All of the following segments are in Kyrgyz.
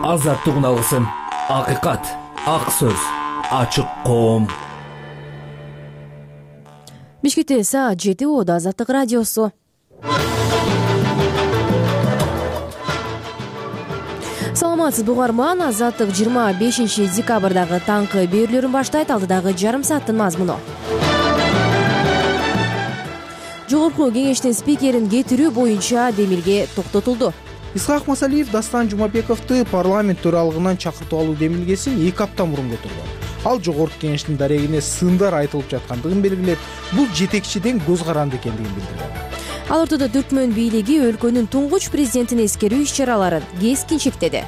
азаттыгын алгысың. Акыйкат, ак сөз, ачык коом. Бишкекте саат 7 болду. Азаттык радиосу. Саламатсызбы угарман. Азаттык 25 декабрдагы таңкы берүүлөрүн баштайт. Алдыдагы жарым сааттын мазмуну. Жогорку кеңештин спикерин кетирүү боюнча демилге токтотулду. Исхак Масалиев Дастан Жумабековду парламент төралыгынан чакыртып алуу демилгесин 2 апта мурун көтөргөн. Ал жогорку кеңештин дарегине сындар айтылып жаткандыгын белгилеп, бул жетекчиден көз каранды экендигин билдирген. Ал ортодо Түркмөн бийлиги өлкөнүн туңгуч президентин эскерүү иш-чараларын кескин чектеди.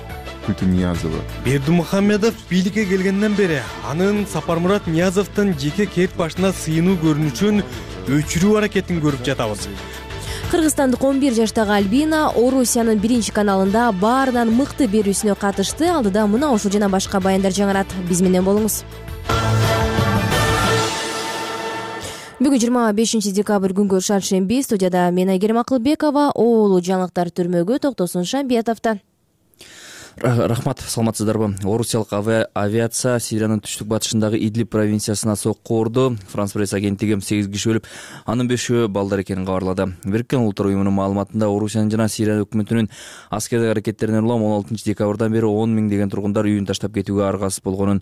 Бердимухамедов бийликке келгенден бери анын Сапармурат Ниязовдун жеке кет башына сыйынуу көрүнүшүн өчүрүү аракетин көрүп жатабыз. Кыргызстандык 11 жаштагы Альбина Орусиянын биринчи каналында баарынан мыкты берүүсүнө катышты. Алдыда мына ушул жана башка баяндар жаңырат. Биз менен болуңуз. Бүгүн 25 декабрь күнгө шаршемби. Студияда мен Айгерим Акылбекова. Оолу жаңылыктар түрмөгө токтосун Шамбиятовдо. Рахмат, саламатсыздарбы? Орусиялык авиация Сириянын түштүк батышындагы Идлиб провинциясына сокку урду. Франс пресс агенттиги 8 киши өлүп, анын 5-өө балдар экенин кабарлады. Бириккен Улуттар уюмунун маалыматында Орусиянын жана Сирия өкмөтүнүн аскердик аракеттерине улам 16 декабрдан бери 10 000 деген тургундар үйүн таштап кетүүгө аргасыз болгонун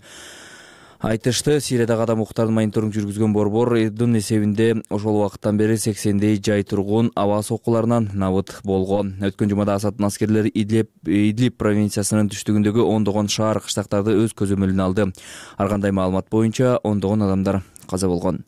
айтышты. Сириядагы адам укуктарын мониторинг жүргүзгөн борбор Эрдун эсебинде ошол убакыттан бери 80дей жай тургун аба соккуларынан набыт болгон. Өткөн жумада Асаддын аскерлери Идлиб провинциясынын түштүгүндөгү ондогон шаар кыштактарды өз көзөмөлүнө алды. Ар кандай маалымат боюнча ондогон адамдар каза болгон.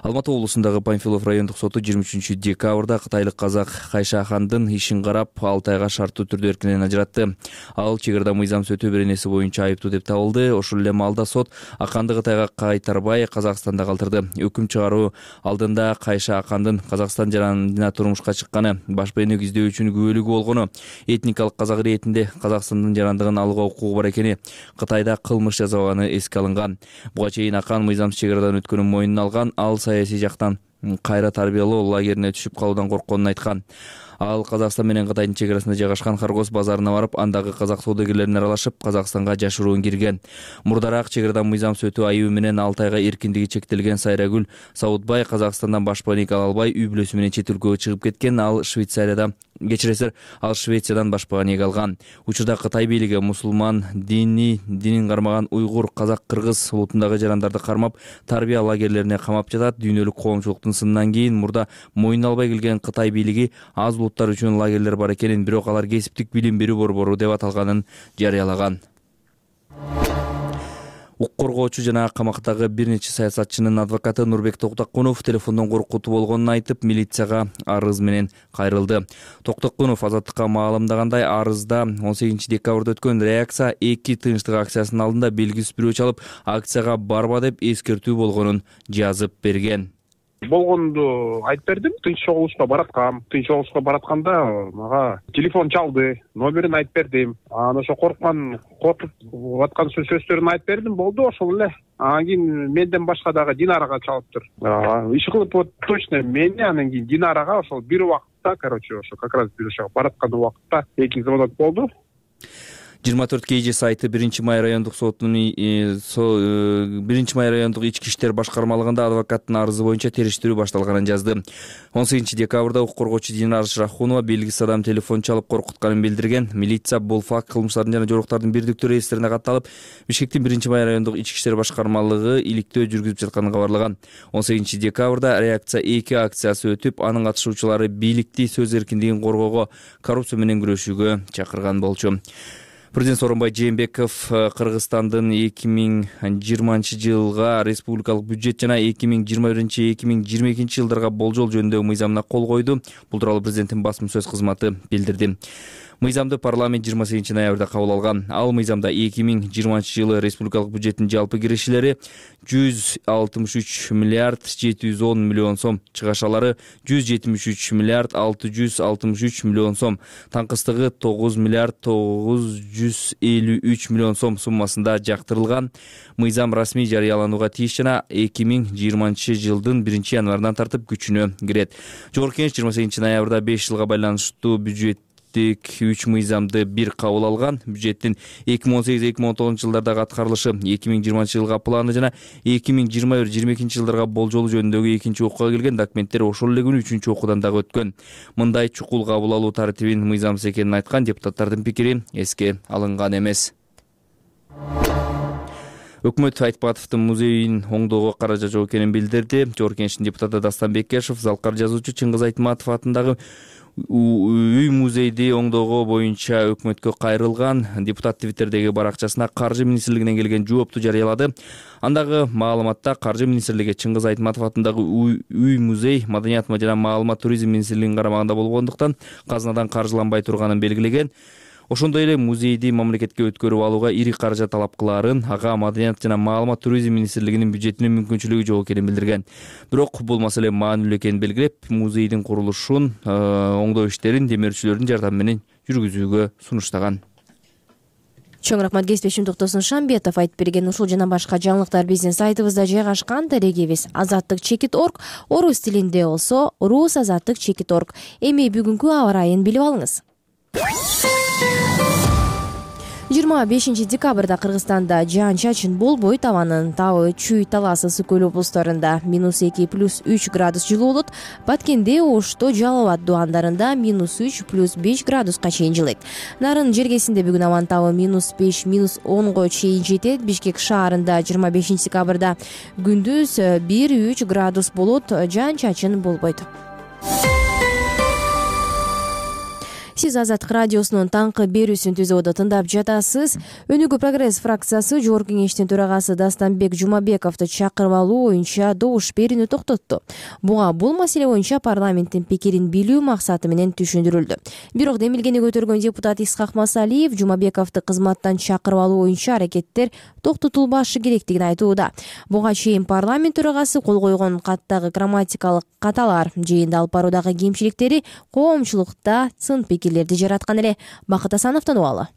Алматы облусундагы Панфилов райондук соту 23 декабрда кытайлык казак Кайшахандын ишин карап 6 айга шарттуу түрдө эркинен ажыратты. Ал чек арада мыйзам сөтүү беренеси боюнча айыптуу деп табылды. Ошол эле маалда сот Аканды Кытайга кайтарбай Казакстанда калтырды. Өкүм чыгаруу алдында Кайшахандын Казакстан жаранына турмушка чыкканы, баш бейнек издөөчүнүн күбөлүгү болгону, этникалык казак иретинде Казакстандын жарандыгын алууга укугу бар экени, Кытайда кылмыш жасабаганы эске алынган. Буга чейин Акан мыйзамсыз чек арадан өткөнүн мойнуна алган. Ал саясий жактан кайра тарбиялоо лагерине түшүп калуудан коркконун айткан. Ал Казакстан менен Кытайдын чек арасында жайгашкан Харгос базарына барып, андагы казак соодагерлерине аралашып, Казакстанга жашыруун кирген. Мурдараак чек арадан мыйзамсыз өтүү айыбы менен 6 айга эркиндиги чектелген Сайрагүл Саудбай Казакстандан баш бейнек ала албай үй бүлөсү менен чет өлкөгө чыгып кеткен. Ал Швециядан баш бейнек алган. Учурда Кытай бийлиги мусулман динин кармаган уйгур, казак, кыргыз улутундагы жарандарды кармап, тарбия лагерлерине камап жатат. Дүйнөлүк коомчулуктун сынынан кийин мурда мойнуна албай келген Кытай бийлиги аз улуттар үчүн лагерлер бар экенин, бирок алар кесиптик билим берүү борбору деп аталганын жарыялаган. Укук коргоочу жана камактагы бир нече саясатчынын адвокаты Нурбек Токтокунов телефондон коркутуу болгонун айтып, милицияга арыз менен кайрылды. Токтокунов Азаттыкка маалымдагандай, арызда 18 декабрда өткөн реакция 2 тынчтык акциясынын алдында белгисиз бирөө чалып, акцияга барба деп эскертүү болгонун жазып берген. Болгонду айтып бердим. Тынч чогулушка баратканда мага телефон чалды, номерин айтып бердим. Анан ошо коркуп аткан сөздөрүн айтып бердим, болду ошол эле. Анан кийин менден башка дагы Динарага чалыптыр. Иш кылып точно мени, анан кийин Динарага ошол бир убакытта, ошо как раз бир ошого бараткан убакытта 2 звонок болду. 24 KG сайты 1 май райондук сотунун 1 май райондук ички иштер башкармалыгында адвокаттын арызы боюнча териштирүү башталганын жазды. 18 декабрда укук коргоочу Динар Шрахунова белгисиз адам телефон чалып коркутканын билдирген. Милиция бул факт кылмыштардын жана жоруктардын бирдиктүү реестрине катталып, Бишкектин 1 май райондук ички иштер башкармалыгы иликтөө жүргүзүп жатканын кабарлаган. 18 декабрда реакция 2 акциясы өтүп, анын катышуучулары бийликти сөз эркиндигин коргоого, коррупция менен күрөшүүгө чакырган болчу. Президент Сооронбай Жээнбеков Кыргызстандын 2020 жылга республикалык бюджет жана 2021-2022 жылдарга болжол жөнүндөгү мыйзамына кол койду. Бул тууралуу президенттин басма сөз кызматы билдирди. Мыйзамды парламент 28 ноябрда кабыл алган. Ал мыйзамда 2020 жылы республикалык бюджеттин жалпы киришилери 163 миллиард 710 миллион сом, чыгашалары 173 миллиард 663 миллион сом, таңкыстыгы 9 миллиард 953 миллион сом суммасында жактырылган. Мыйзам расмий жарыяланууга тийиш жана 2020 жылдын 1 январынан тартып күчүнө кирет. Жогорку кеңеш 28 ноябрда 5 жылга байланыштуу бюджет бюджеттик 3 мыйзамды бир кабыл алган. Бюджеттин 2018-2019 жылдардагы аткарылышы, 2020 жылга планы жана 2021-2022 жылдарга болжолу жөнүндөгү экинчи окууга келген документтер ошол эле күнү 3-окуудан дагы өткөн. Мындай чукул кабыл алуу тартибин мыйзамсыз экенин айткан депутаттардын пикири эске алынган эмес. Өкмөт Айтпатовдун музейин оңдоого каражат жок экенин билдирди. Жогорку Кеңештин депутаты Дастан Бекешев залкар жазуучу Чыңгыз Айтматов атындагы үй музейди оңдоого боюнча өкмөткө кайрылган. Депутат Твиттердеги баракчасына Каржы министрлигинен келген жоопту жарыялады. Андагы маалыматта Каржы министрлиги Чыңгыз Айтматов атындагы үй музей Маданият жана маалымат туризм министрлигинин карамагында болгондуктан казынадан каржыланбай турганын белгилеген. Ошондой эле музейди мамлекетке өткөрүп алууга ири каражат талап кылаарын, ага Маданият жана маалымат туризм министрлигинин бюджетинин мүмкүнчүлүгү жок экенин билдирген. Бирок бул маселе маанилүү экенин белгилеп, музейдин курулушун, оңдоо иштерин демөөрчүлөрдүн жардамы менен жүргүзүүгө сунуштаган. Чоң рахмат кесиптешим Токтосун Шамбетов айтып берген. Ушул жана башка жаңылыктар биздин сайтыбызда жайгашкан. Дарегибиз azattik.org, орус тилинде болсо rusazattik.org. Эми бүгүнкү аба ырайын билип алыңыз. 25 декабрда Кыргызстанда жаан-чачын болбойт. Абанын табы Чүй, Талас, Ысык көл облустарында -2 + 3 градус жылуу болот. Баткенде, Ошто, Жалал абад дубандарында -3 + 5 градуска чейин жылыйт. Нарын жергесинде бүгүн абанын табы -5 - -10 чейин жетет. Бишкек шаарында 25 декабрда күндүз 1-3 градус болот. Жаан-чачын болбойт. Сиз Азаттык радиосунун таңкы берүүсүн түзүүдө тыңдап жатасыз. Өнүгүү прогресс фракциясы Жогорку Кеңештин төрагасы Дастанбек Жумабековду чакырып алуу боюнча добуш берүүнү токтотту. Буга бул маселе боюнча парламенттин пикирин билүү максаты менен түшүндүрүлдү. Бирок демилгени көтөргөн депутат Исхак Масалиев Жумабековду кызматтан чакырып алуу боюнча аракеттер токтотулбашы керектигин айтууда. Буга чейин парламент төрагасы кол койгон каттагы грамматикалык каталар жыйында алып баруудагы кемчиликтери коомчулукта сын пикирлерди жараткан эле. Бакыт Асановдон убалы.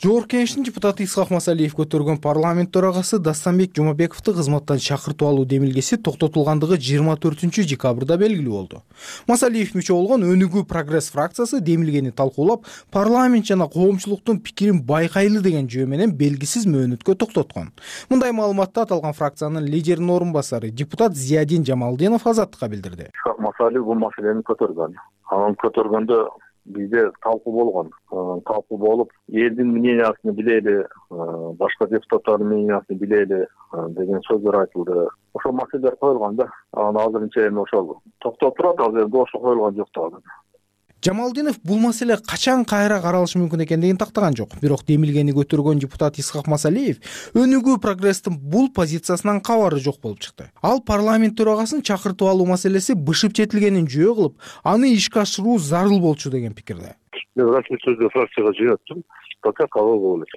Жогорку Кеңештин депутаты Исхак Масалиев көтөргөн парламент төрагасы Дастанбек Жумабековду кызматтан чакыртып алуу демилгеси токтотулгандыгы 24 декабрда белгилүү болду. Масалиев мүчө болгон Өнүгүү прогресс фракциясы демилгени талкуулап, парламент жана коомчулуктун пикирин байкайлы деген жөө менен белгисиз мөөнөткө токтоткон. Мындай маалыматты аталган фракциянын лидеринин орун басары депутат Зиядин Жамалдинов Азаттыкка билдирди. Исхак Масалиев бул маселени көтөргөн. Анын көтөргөндө бизде талкуу болгон. Талкуу болуп, элдин мнениясын билели, башка депутаттардын мнениясын билели деген сөздөр айтылды. Ошол маселелер коюлган да. Анан азырынча эми ошол токтоп турат, азыр ошо коюлган жок да. Жамалдинов бул маселе качан кайра каралышы мүмкүн экендигин тактаган жок. Бирок демилгени көтөргөн депутат Исхак Масалиев Өнүгүү прогресстин бул позициясынан кабары жок болуп чыкты. Ал парламент төрагасын чакыртып алуу маселеси бышып жетилгенин жөө кылып, аны ишке ашыруу зарыл болчу деген пикирде. Мен расмий сөздү фракцияга жыйнаттым. Пока кабыл болот.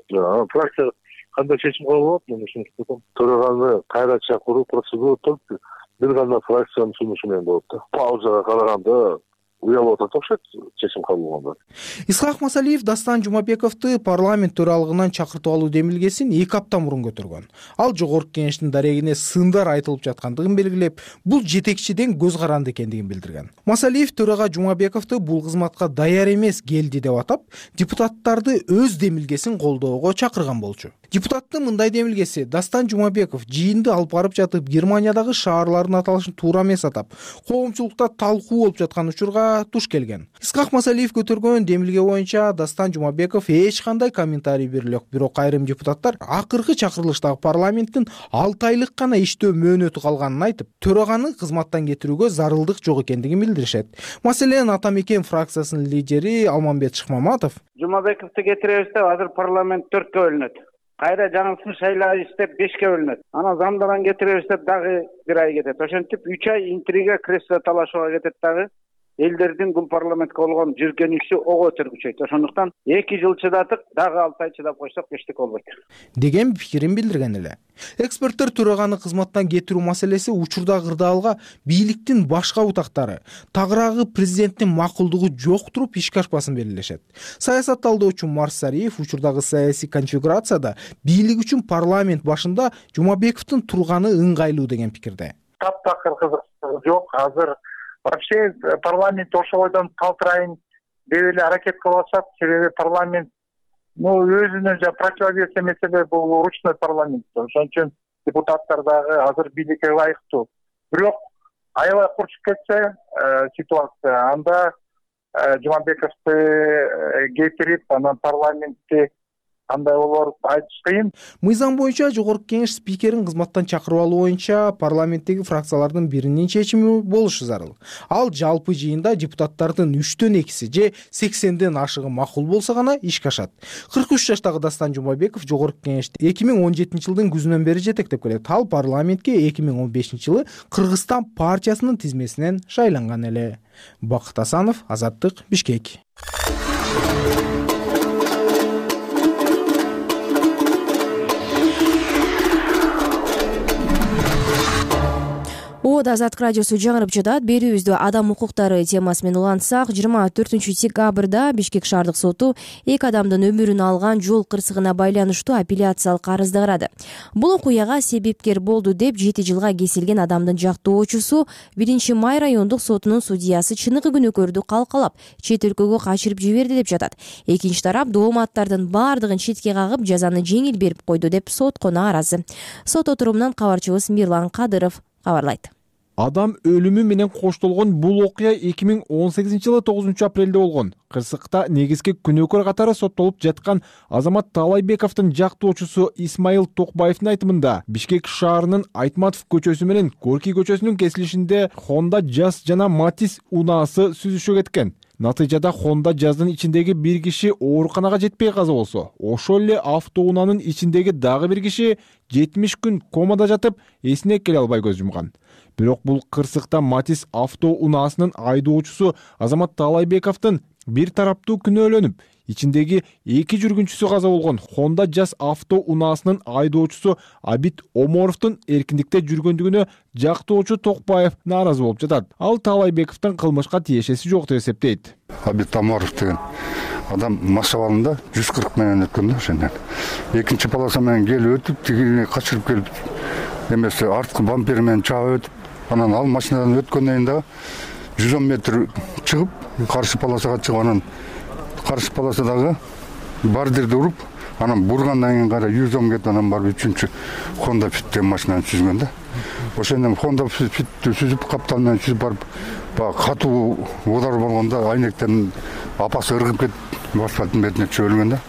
Фракция кандай чечим кабыл болот, мен ушуну төраганы кайра чакыруу процедура өтүп, бир гана фракциянын сунушу менен болот да. Паузага караганда уялып атат окшойт чечим кабыл болгондо. Исхак Масалиев Дастан Жумабековду парламент төралыгынан чакыртып алуу демилгесин 2 апта мурун көтөргөн. Ал Жогорку Кеңештин дарегине сындар айтылып жаткандыгын белгилеп, бул жетекчиден көз каранды экендигин билдирген. Масалиев төрага Жумабековду бул кызматка даяр эмес келди деп атап, депутаттарды өз демилгесин колдоого чакырган болчу. Депутаттын мындай демилгеси Дастан Жумабеков жыйынды алып барып жатып Германиядагы шаарлардын аталышын туура эмес атап, коомчулукта талкуу болуп жаткан учурга туш келген. Исхак Масалиев көтөргөн демилге боюнча Дастан Жумабеков эч кандай комментарий бериле жок. Бирок айрым депутаттар акыркы чакырылыштагы парламенттин 6 айлык гана иштөө мөөнөтү калганын айтып, төраганы кызматтан кетирүүгө зарылдык жок экендигин билдиришет. Маселен Атамекен фракциясынын лидери Алмамбет Шыкмаматов Жумабековду кетиребиз деп азыр парламент 4кө бөлүнөт. Кайра жаңысын шайлап иштеп 5ке бөлүнөт. Анан замдаран кетиребиз деп дагы 1 ай кетет. Ошентип 3 ай интрига, кресло талашууга кетет дагы. Элдердин бул парламентке болгон жүргөнүшү ого өтөр күчөйт. Ошондуктан 2 жыл чыдатык, дагы 6 ай чыдап койсок эчтеке болбойт деген пикирин билдирген эле. Эксперттер төраганы кызматтан кетирүү маселеси учурда кырдаалга бийликтин башка утактары, тагыраагы президенттин макулдугу жок туруп ишке ашпасын белгилешет. Саясат талдоочу Марсариев учурдагы саясий конфигурацияда бийлик үчүн парламент башында Жумабековдун турганы ыңгайлуу деген пикирде. Таптакыр кызык жок. Азыр вообще парламент ошол ойдон калтырайын деп эле аракет кылып атышат. Себеби парламент өзүнө противовес эмесе бул ручной парламент. Ошон үчүн депутаттар дагы азыр бийликке ылайыктуу. Бирок аябай курчуп кетсе ситуация, анда Жумабековду кетирип, анан парламентти кандай болор айтыш кыйын. Мыйзам боюнча жогорку кеңеш спикерин кызматтан чакырып алуу боюнча парламенттеги фракциялардын биринин чечими болушу зарыл. Ал жалпы жыйында депутаттардын 3/2 же 80ден ашыгы макул болсо гана ишке ашат. 43 жаштагы Дастан Жумабеков жогорку кеңешти 2017-жылдын күзүнөн бери жетектеп келет. Ал парламентке 2015-жылы Кыргызстан партиясынын тизмесинен шайланган эле. Бакыт Асанов, Азаттык, Бишкек. Азаттык радиосу жаңырып жатат. Берүүбүздү адам укуктары темасы менен улантсак, 24-декабрда Бишкек шаардык соту 2 адамдын өмүрүн алган жол кырсыгына байланыштуу апелляциялык арызды карады. Бул окуяга себепкер болду деп 7 жылга кесилген адамдын жактоочусу 1-Май райондук сотунун судьясы чыныгы күнөөкөрдү калкалап, чет өлкөгө качырып жиберди деп жатат. Экинчи тарап дооматтардын баардыгын четке кагып, жазаны жеңил берип койду деп сотко нааразы. Сот отурумунан кабарчыбыз Мирлан Кадыров кабарлайт. Адам өлүмү менен коштолгон бул окуя 2018-жылы 9-апрелде болгон. Кырсыкта негизги күнөөкөр катары соттолуп жаткан Азамат Таалайбековдун жактоочусу Исмаил Токбаевдин айтымында Бишкек шаарынын Айтматов көчөсү менен Горький көчөсүнүн кесилишинде Honda Jazz жана Matiz унаасы сүзүшө кеткен. Натыйжада Honda Jazz'дын ичиндеги бир киши ооруканага жетпей каза болсо, ошол эле автоунаанын ичиндеги дагы бир киши 70 күн комада жатып, эсине келе албай көз жумган. Бирок бул кырсыкта Matiz автоунаасынын айдоочусу Азамат Таалайбековдун бир тараптуу күнөөлөнүп, ичиндеги 2 жүргүнчүсү каза болгон Honda Jazz автоунаасынын айдоочусу Абит Оморовдун эркиндикте жүргөндүгүнө жактоочу Токбаев нааразы болуп жатат. Ал Таалайбековдун кылмышка тиешеси жок деп эсептейт. Абит Оморов деген адам машабалында 140 менен өткөн да ошондон. Экинчи полоса менен келип өтүп, тигине качырып келип, эмесе арткы бампер менен чаап өтүп, анан ал машинадан өткөндөн да 110 метр чыгып, каршы полосага чыгып, анан каршы полосадагы бардырды уруп, анан бургандан кийин кара 110 кетип, анан барып 3-чү Honda Fit деген машинаны сүзгөн да. Ошондон Honda Fitти сүзүп, каптандан сүзүп барып, катуу удар болгондо айнектен апасы ыргып кетип, асфальттын бетине түшүп өлгөн да.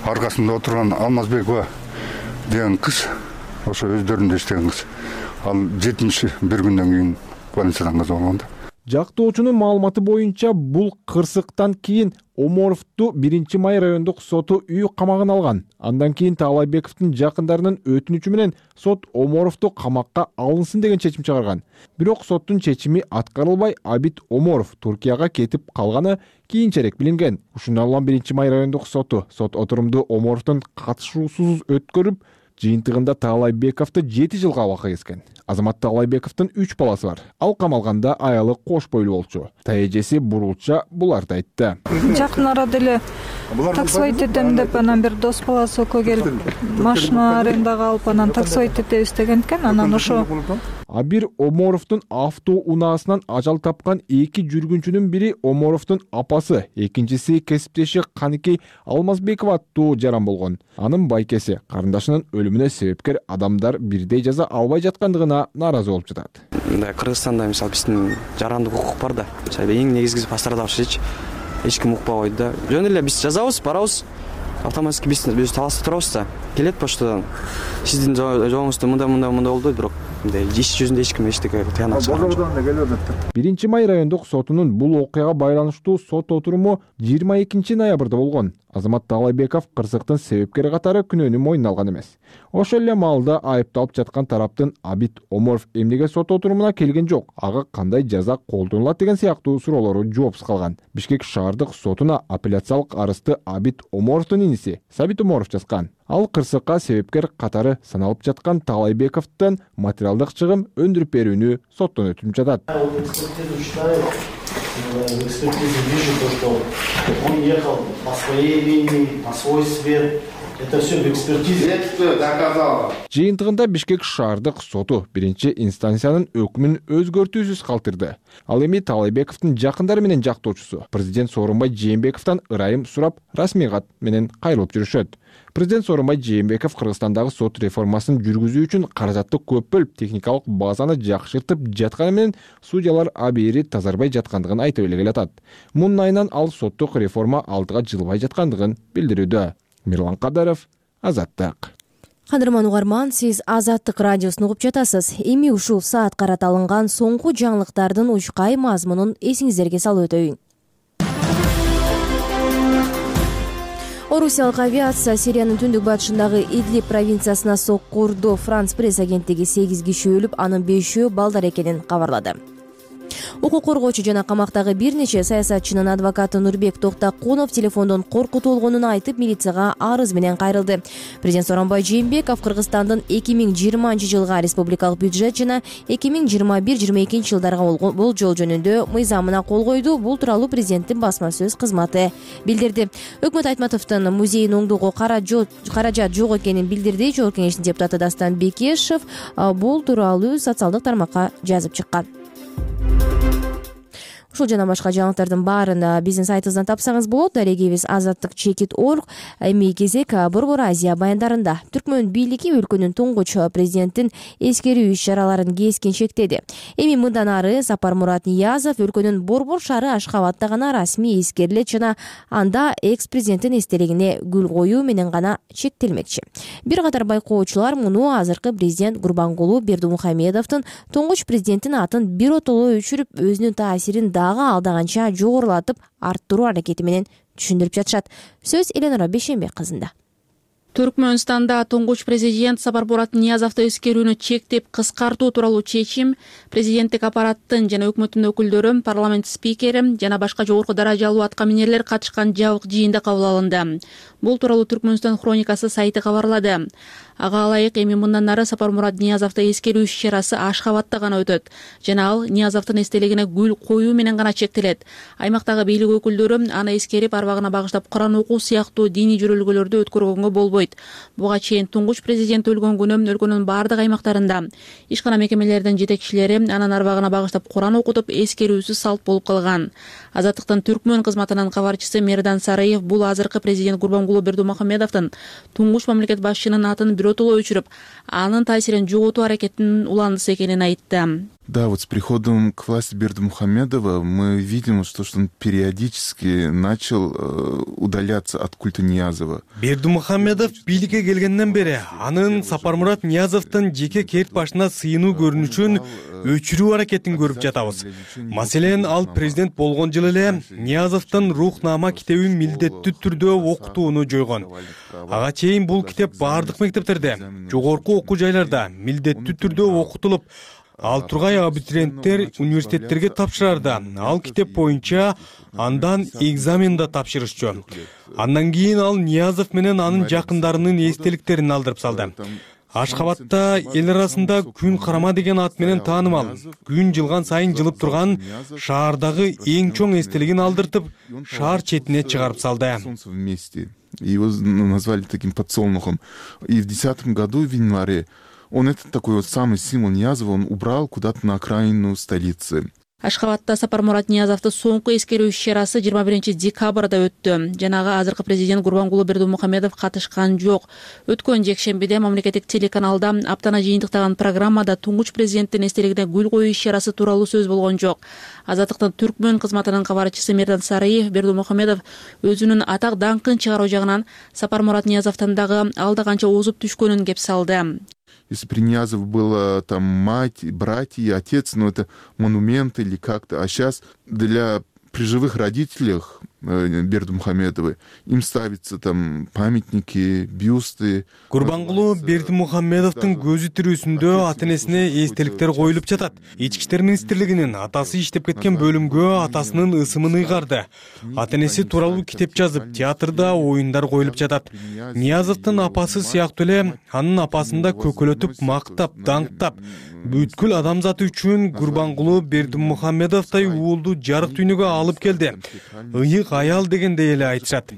Аркасында отурган Алмазбекова деген кыз, ошо өздөрүндө иштеген кыз. Ал 71 күндөн кийин больницадан каза болгон да. Жактоочунун маалыматы боюнча бул кырсыктан кийин Оморовду 1-Май райондук соту үй камагына алган. Андан кийин Таалайбековдун жакындарынын өтүнүчү менен сот Оморовду камакка алынсын деген чечим чыгарган. Бирок соттун чечими аткарылбай, Абит Оморов Туркияга кетип калганы кийинчерээк билинген. Ушундан улам 1-Май райондук соту сот отурумду Оморовдун катышуусуз өткөрүп, жыйынтыгында Таалайбековду 7 жылга абакка кескен. Азамат Таалайбековдун 3 баласы бар. Ал камалганда аялы кош бойлуу болчу. Таежеси бурулча буларды айтты. Жакын арада эле таксовать этем деп, анан бир дос баласы экөө келип, машина арендага алып, анан таксовать этебиз деген экен. Анан ошо Абир Оморовдун автоунаасынан ажал тапкан 2 жүргүнчүнүн бири Оморовдун апасы, экинчиси кесиптеши Каныкей Алмазбекова аттуу жаран болгон. Анын байкеси карындашынын өлүмүнө себепкер адамдар бирдей жаза албай жаткандыгына нааразы болуп жатат. Кыргызстанда мисалы биздин жарандык укук бар да. Эң негизгиси пострадавшийчи эч ким укпай койду да. Жөн эле биз жазабыз, барабыз. Автоматически биз таласта турабыз да. Келет поштадан. Сиздин жоңуңузда мындай болду, бирок иш жүзүндө эч ким эчтеке тыянак чыгарбады. 1-Май райондук сотунун бул окуяга байланыштуу сот отуруму 22 ноябрда болгон. Азамат Таалайбеков кырсыктын себепкери катары күнөөнү мойнуна алган эмес. Ошол эле маалда айыпталып жаткан тараптын Абит Оморов эмнеге сот отурумуна келген жок, ага кандай жаза колдонулат деген сыяктуу суроолору жоопсуз калган. Бишкек шаардык сотуна апелляциялык арызды Абит Оморовдун иниси Сабит Оморов жазган. Ал кырсыкка себепкер катары саналып жаткан Таалайбековдон материалдык чыгым өндүрүп берүүнү соттон өтүнүп жатат. Экспертиза вижу то, что он ехал по своей линии, на свой свет, Это все в экспертизе. Доказало. Жыйынтыгында Бишкек шаардык соту биринчи инстанциянын өкмүн өзгөртүүсүз калтырды. Ал эми Таалайбековдун жакындары менен жактоочусу президент Сооронбай Жээнбековдон ырайым сурап расмий кат менен кайрылып жүрүшөт. Президент Сооронбай Жээнбеков Кыргызстандагы сот реформасын жүргүзүү үчүн каражатты көп бөлүп, техникалык базаны жакшыртып жатканы менен судьялар абийири тазарбай жаткандыгын айтып эле келатат. Мунун айынан ал соттук реформа алдыга жылбай жаткандыгын билдирүүдө. Мирлан Кадаров, Азаттык. Кадырман угарман, сиз Азаттык радиосун угуп жатасыз. Эми ушул саат карата алынган соңку жаңылыктардын учкай мазмунун эсиңиздерге салып өтөйүн. Орусиялык авиация Сириянын түндүк батышындагы Идлиб провинциясына сокку урду. Франс пресс агенттиги 8 киши өлүп, анын 5-өө балдар экенин кабарлады. Укук коргоочу жана камактагы бир нече саясатчынын адвокаты Нурбек Токтакунов телефондон коркутулгонун айтып, милицияга арыз менен кайрылды. Президент Сооронбай Жээнбеков Кыргызстандын 2020-жылга республикалык бюджет жана 2021-22 жылдарга болжол жөнүндө мыйзамына кол койду. Бул тууралуу президенттин басма сөз кызматы билдирди. Өкмөт Айтматовдун музейин оңдоого каражат жок экенин билдирди. Жогорку кеңештин депутаты Дастан Бекешев бул тууралуу социалдык тармакка жазып чыккан. Ушул жана башка жаңылыктардын баарын биздин сайтыбыздан тапсаңыз болот. Дарегибиз azattik.org. Эми кезек Борбор Азия баяндарында. Түркмөн бийлиги өлкөнүн туңгуч президенттин эскерүү иш-чараларын кескин чектеди. Эми мындан ары Сапармурат Ниязов өлкөнүн Борбор шаары Ашхабадта гана расмий эскерилет жана анда экс-президенттин эстелигине гүл коюу менен гана чектелмекчи. Бир катар байкоочулар муну азыркы президент Гурбангулу Бердимухамедовдун туңгуч президенттин атын биротоло өчүрүп, өзүнүн таасирин алдаганча жогорулатып арттыруу аракети менен түшүндүрүп жатышат. Сөз Эленора Бейшенбек кызында. Түркмөнстанда туңгуч президент Сапармурат Ниязовду эскерүүнү чектеп кыскартуу тууралуу чечим президенттик аппараттын жана өкмөттүн өкүлдөрү, парламент спикери жана башка жогорку даражалуу аткаминерлер катышкан жабык жыйында кабыл алынды. Бул тууралуу Түркмөнстан хроникасы сайты кабарлады. Ага ылайык, эми мындан ары Сапармурат Ниязовду эскерүү иш-чарасы Ашхабадта гана өтөт жана ал Ниязовдун эстелигине гүл коюу менен гана чектелет. Аймактагы бийлик өкүлдөрү аны эскерип, арбагына багыштап Куран окуу сыяктуу диний жөрөлгөлөрдү өткөргөнгө болбойт. Буга чейин туңгуч президент өлгөн күнү өлкөнүн бардык аймактарында ишкана мекемелердин жетекчилери анын арбагына багыштап Куран окутуп, эскерүүсүз салт болуп калган. Азаттыктын Түркмөн кызматынын кабарчысы Мердан Сараев бул азыркы президент Гурбангулу Бердимухамедовдун туңгуч мамлекет башчынын атын биротоло өчүрүп, анын таасирин жоготуу аракетинин уландысы экенин айтты. Да, вот с приходом к власти Бердимухамедова мы видим, что он периодически начал удаляться от культа Ниязова. Бердимухамедов бийликке келгенден бери анын Сапармурат Ниязовдун жеке керт башына сыйынуу көрүнүшүн өчүрүү аракетин көрүп жатабыз. Маселен, ал президент болгон жылы эле Ниязовдун Рухнама китебин милдеттүү түрдө окутууну жойгон. Ага чейин бул китеп бардык мектептерде, жогорку окуу жайларда милдеттүү түрдө окутулуп, ал тургай абитуриенттер университеттерге тапшырарда ал китеп боюнча андан экзамен да тапшырышчу. Андан кийин ал Ниязов менен анын жакындарынын эстеликтерин алдырып салды. Ашхабадта эл арасында күн карама деген ат менен таанымал, күн жылган сайын жылып турган шаардагы эң чоң эстелигин алдыртып, шаар четине чыгарып салды. Его назвали таким подсолнухом. И в 2010 году, в январе, он этот такой вот самый символ Ниязова, он убрал куда-то на окраину столицы. Ашхабадта Сапармурат Ниязовду соңку эскерүү иш-чарасы 21 декабрда өттү. Жанагы азыркы президент Гурбангулу Бердимухамедов катышкан жок. Өткөн жекшембиде мамлекеттик телеканалда аптана жыйынтыктаган программада туңгуч президенттин эстелигине гүл коюу иш-чарасы тууралуу сөз болгон жок. Азаттыктын Түркмөн кызматынын кабарчысы Мердан Сараев Бердимухамедов өзүнүн атак даңкын чыгаруу жагынан Сапармурат Ниязовдон дагы алда канча озуп түшкөнүн кеп салды. Если при Ниязов была там мать, братья, отец, ну это монумент или как-то. А сейчас при живых родителях Бердимухамедовой им ставятся там памятники, бюсты. Гурбангулу Бердимухамедовдун көзү тирүүсүндө ата-энесине эстеликтер коюлуп жатат. Ички иштер министрлигинин атасы иштеп кеткен бөлүмгө атасынын ысымын ыйгарды. Ата-энеси тууралуу китеп жазып, театрда оюндар коюлуп жатат. Ниязовдун апасы сыяктуу эле анын апасын да көкөлөтүп, мактап, даңктап, бүткүл адамзат үчүн Гурбангулу Бердимухамедовдой уулду жарык дүйнөгө алып келди. Ыйык бийик аял дегендей эле айтышат.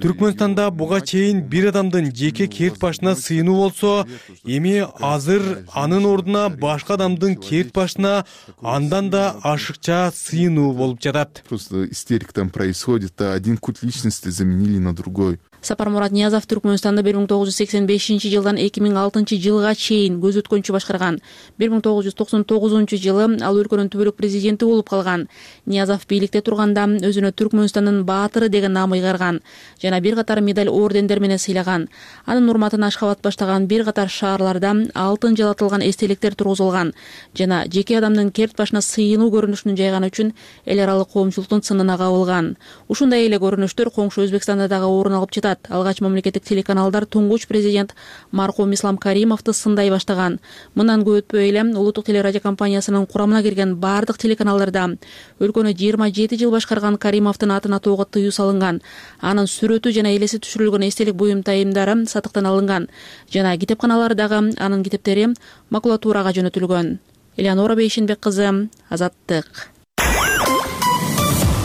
Түркмөнстанда буга чейин бир адамдын жеке керт башына сыйынуу болсо, эми азыр анын ордуна башка адамдын керт башына андан да ашыкча сыйынуу болуп жатат. Просто истерика там происходит, а один культ личности заменили на другой. Сапармурат Ниязов Түркмөнстанда 1985 жылдан 2006 жылга чейин көз өткөнчү башкарган. 1999 жылы ал өлкөнүн түбөлүк президенти болуп калган. Ниязов бийликте турганда өзүнө Түркмөнстандын баатыры деген наам ыйгарган жана бир катар медаль ордендер менен сыйлаган. Анын урматына Ашхабад баштаган бир катар шаарларда алтын жалатылган эстеликтер тургузулган жана жеке адамдын керт башына сыйынуу көрүнүшүн жайган үчүн эл аралык коомчулуктун сынына кабылган. Ушундай эле көрүнүштөр коңшу Өзбекстанда дагы орун алып жатат. Алгач мамлекеттик телеканалдар туңгуч президент маркум Ислам Каримовду сындай баштаган. Мындан көп өтпөй эле улуттук телерадио компаниясынын курамына кирген бардык телеканалдарда өлкөнү 27 жыл башкарган Каримовдун атын атоого тыюу салынган. Анын сүрөтү жана элеси түшүрүлгөн эстелик буюмтайымдары сатыктан алынган жана китепканалардагы анын китептери макулатурага жөнөтүлгөн. Элеонора Бейшенбек кызы, Азаттык.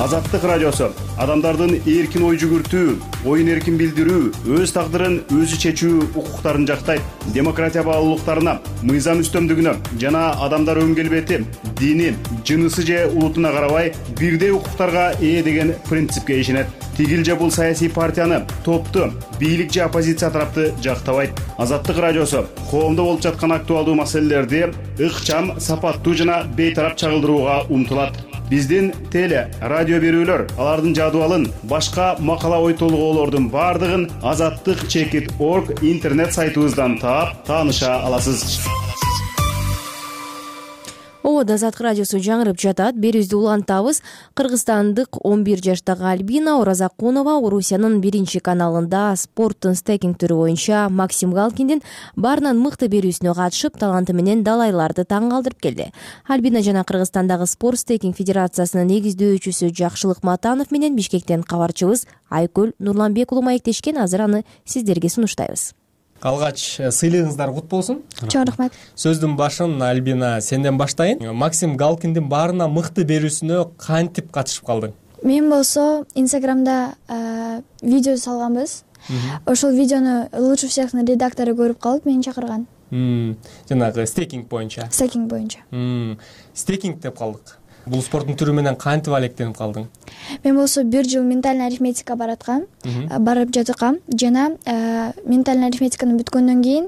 Азаттык радиосу адамдардын эркин ой жүгүртүү, оюн эркин билдирүү, өз тагдырын өзү чечүү укуктарын жактайт. Демократия баалуулуктарына, мыйзам үстөмдүгүнө жана адамдар өн келбети, дини, жынысы же улутуна карабай бирдей укуктарга ээ деген принципке ишенет. Тигил же бул саясий партияны, топту, бийлик же оппозиция тарапты жактабайт. Азаттык радиосу коомдо болуп жаткан актуалдуу маселелерди ыкчам, сапаттуу жана бейтарап чагылдырууга умтулат. Биздин теле, радио берүүлөр, алардын жадыбалын, башка макала ой толгоолордун бардыгын azattik.org интернет сайтыбыздан таап, тааныша аласыз. Ободо Азаттык радиосу жаңырып жатат. Берүүбүздү улантабыз. Кыргызстандык 11 жаштагы Альбина Оразакунова Орусиянын 1 каналында спорттун стейкинг түрү боюнча Максим Галкиндин баарынан мыкты берүүсүнө катышып, таланты менен далайларды таң калтырып келди. Альбина жана Кыргызстандагы спорт стейкинг федерациясынын негиздөөчүсү Жакшылык Матанов менен Бишкектен кабарчыбыз Айкөл Нурланбек уулу маектешкен. Азыр аны сиздерге сунуштайбыз. Алгач сыйлыгыңыздар кут болсун. Чоң рахмат. Сөздүн башын Альбина сенден баштайын. Максим Галкиндин баарына мыкты берүүсүнө кантип катышып калдың? Мен болсо Инстаграмда видео салганбыз. Ошол видеону лучше всехнын редактору көрүп калып, мени чакырган. Жанагы стейкинг боюнча. Стейкинг боюнча. Стейкинг деп калдык. Бул спорттун түрү менен кантип алектенип калдың? Мен болсо 1 жыл ментальный арифметика барып жаткам жана ментальный арифметиканы бүткөндөн кийин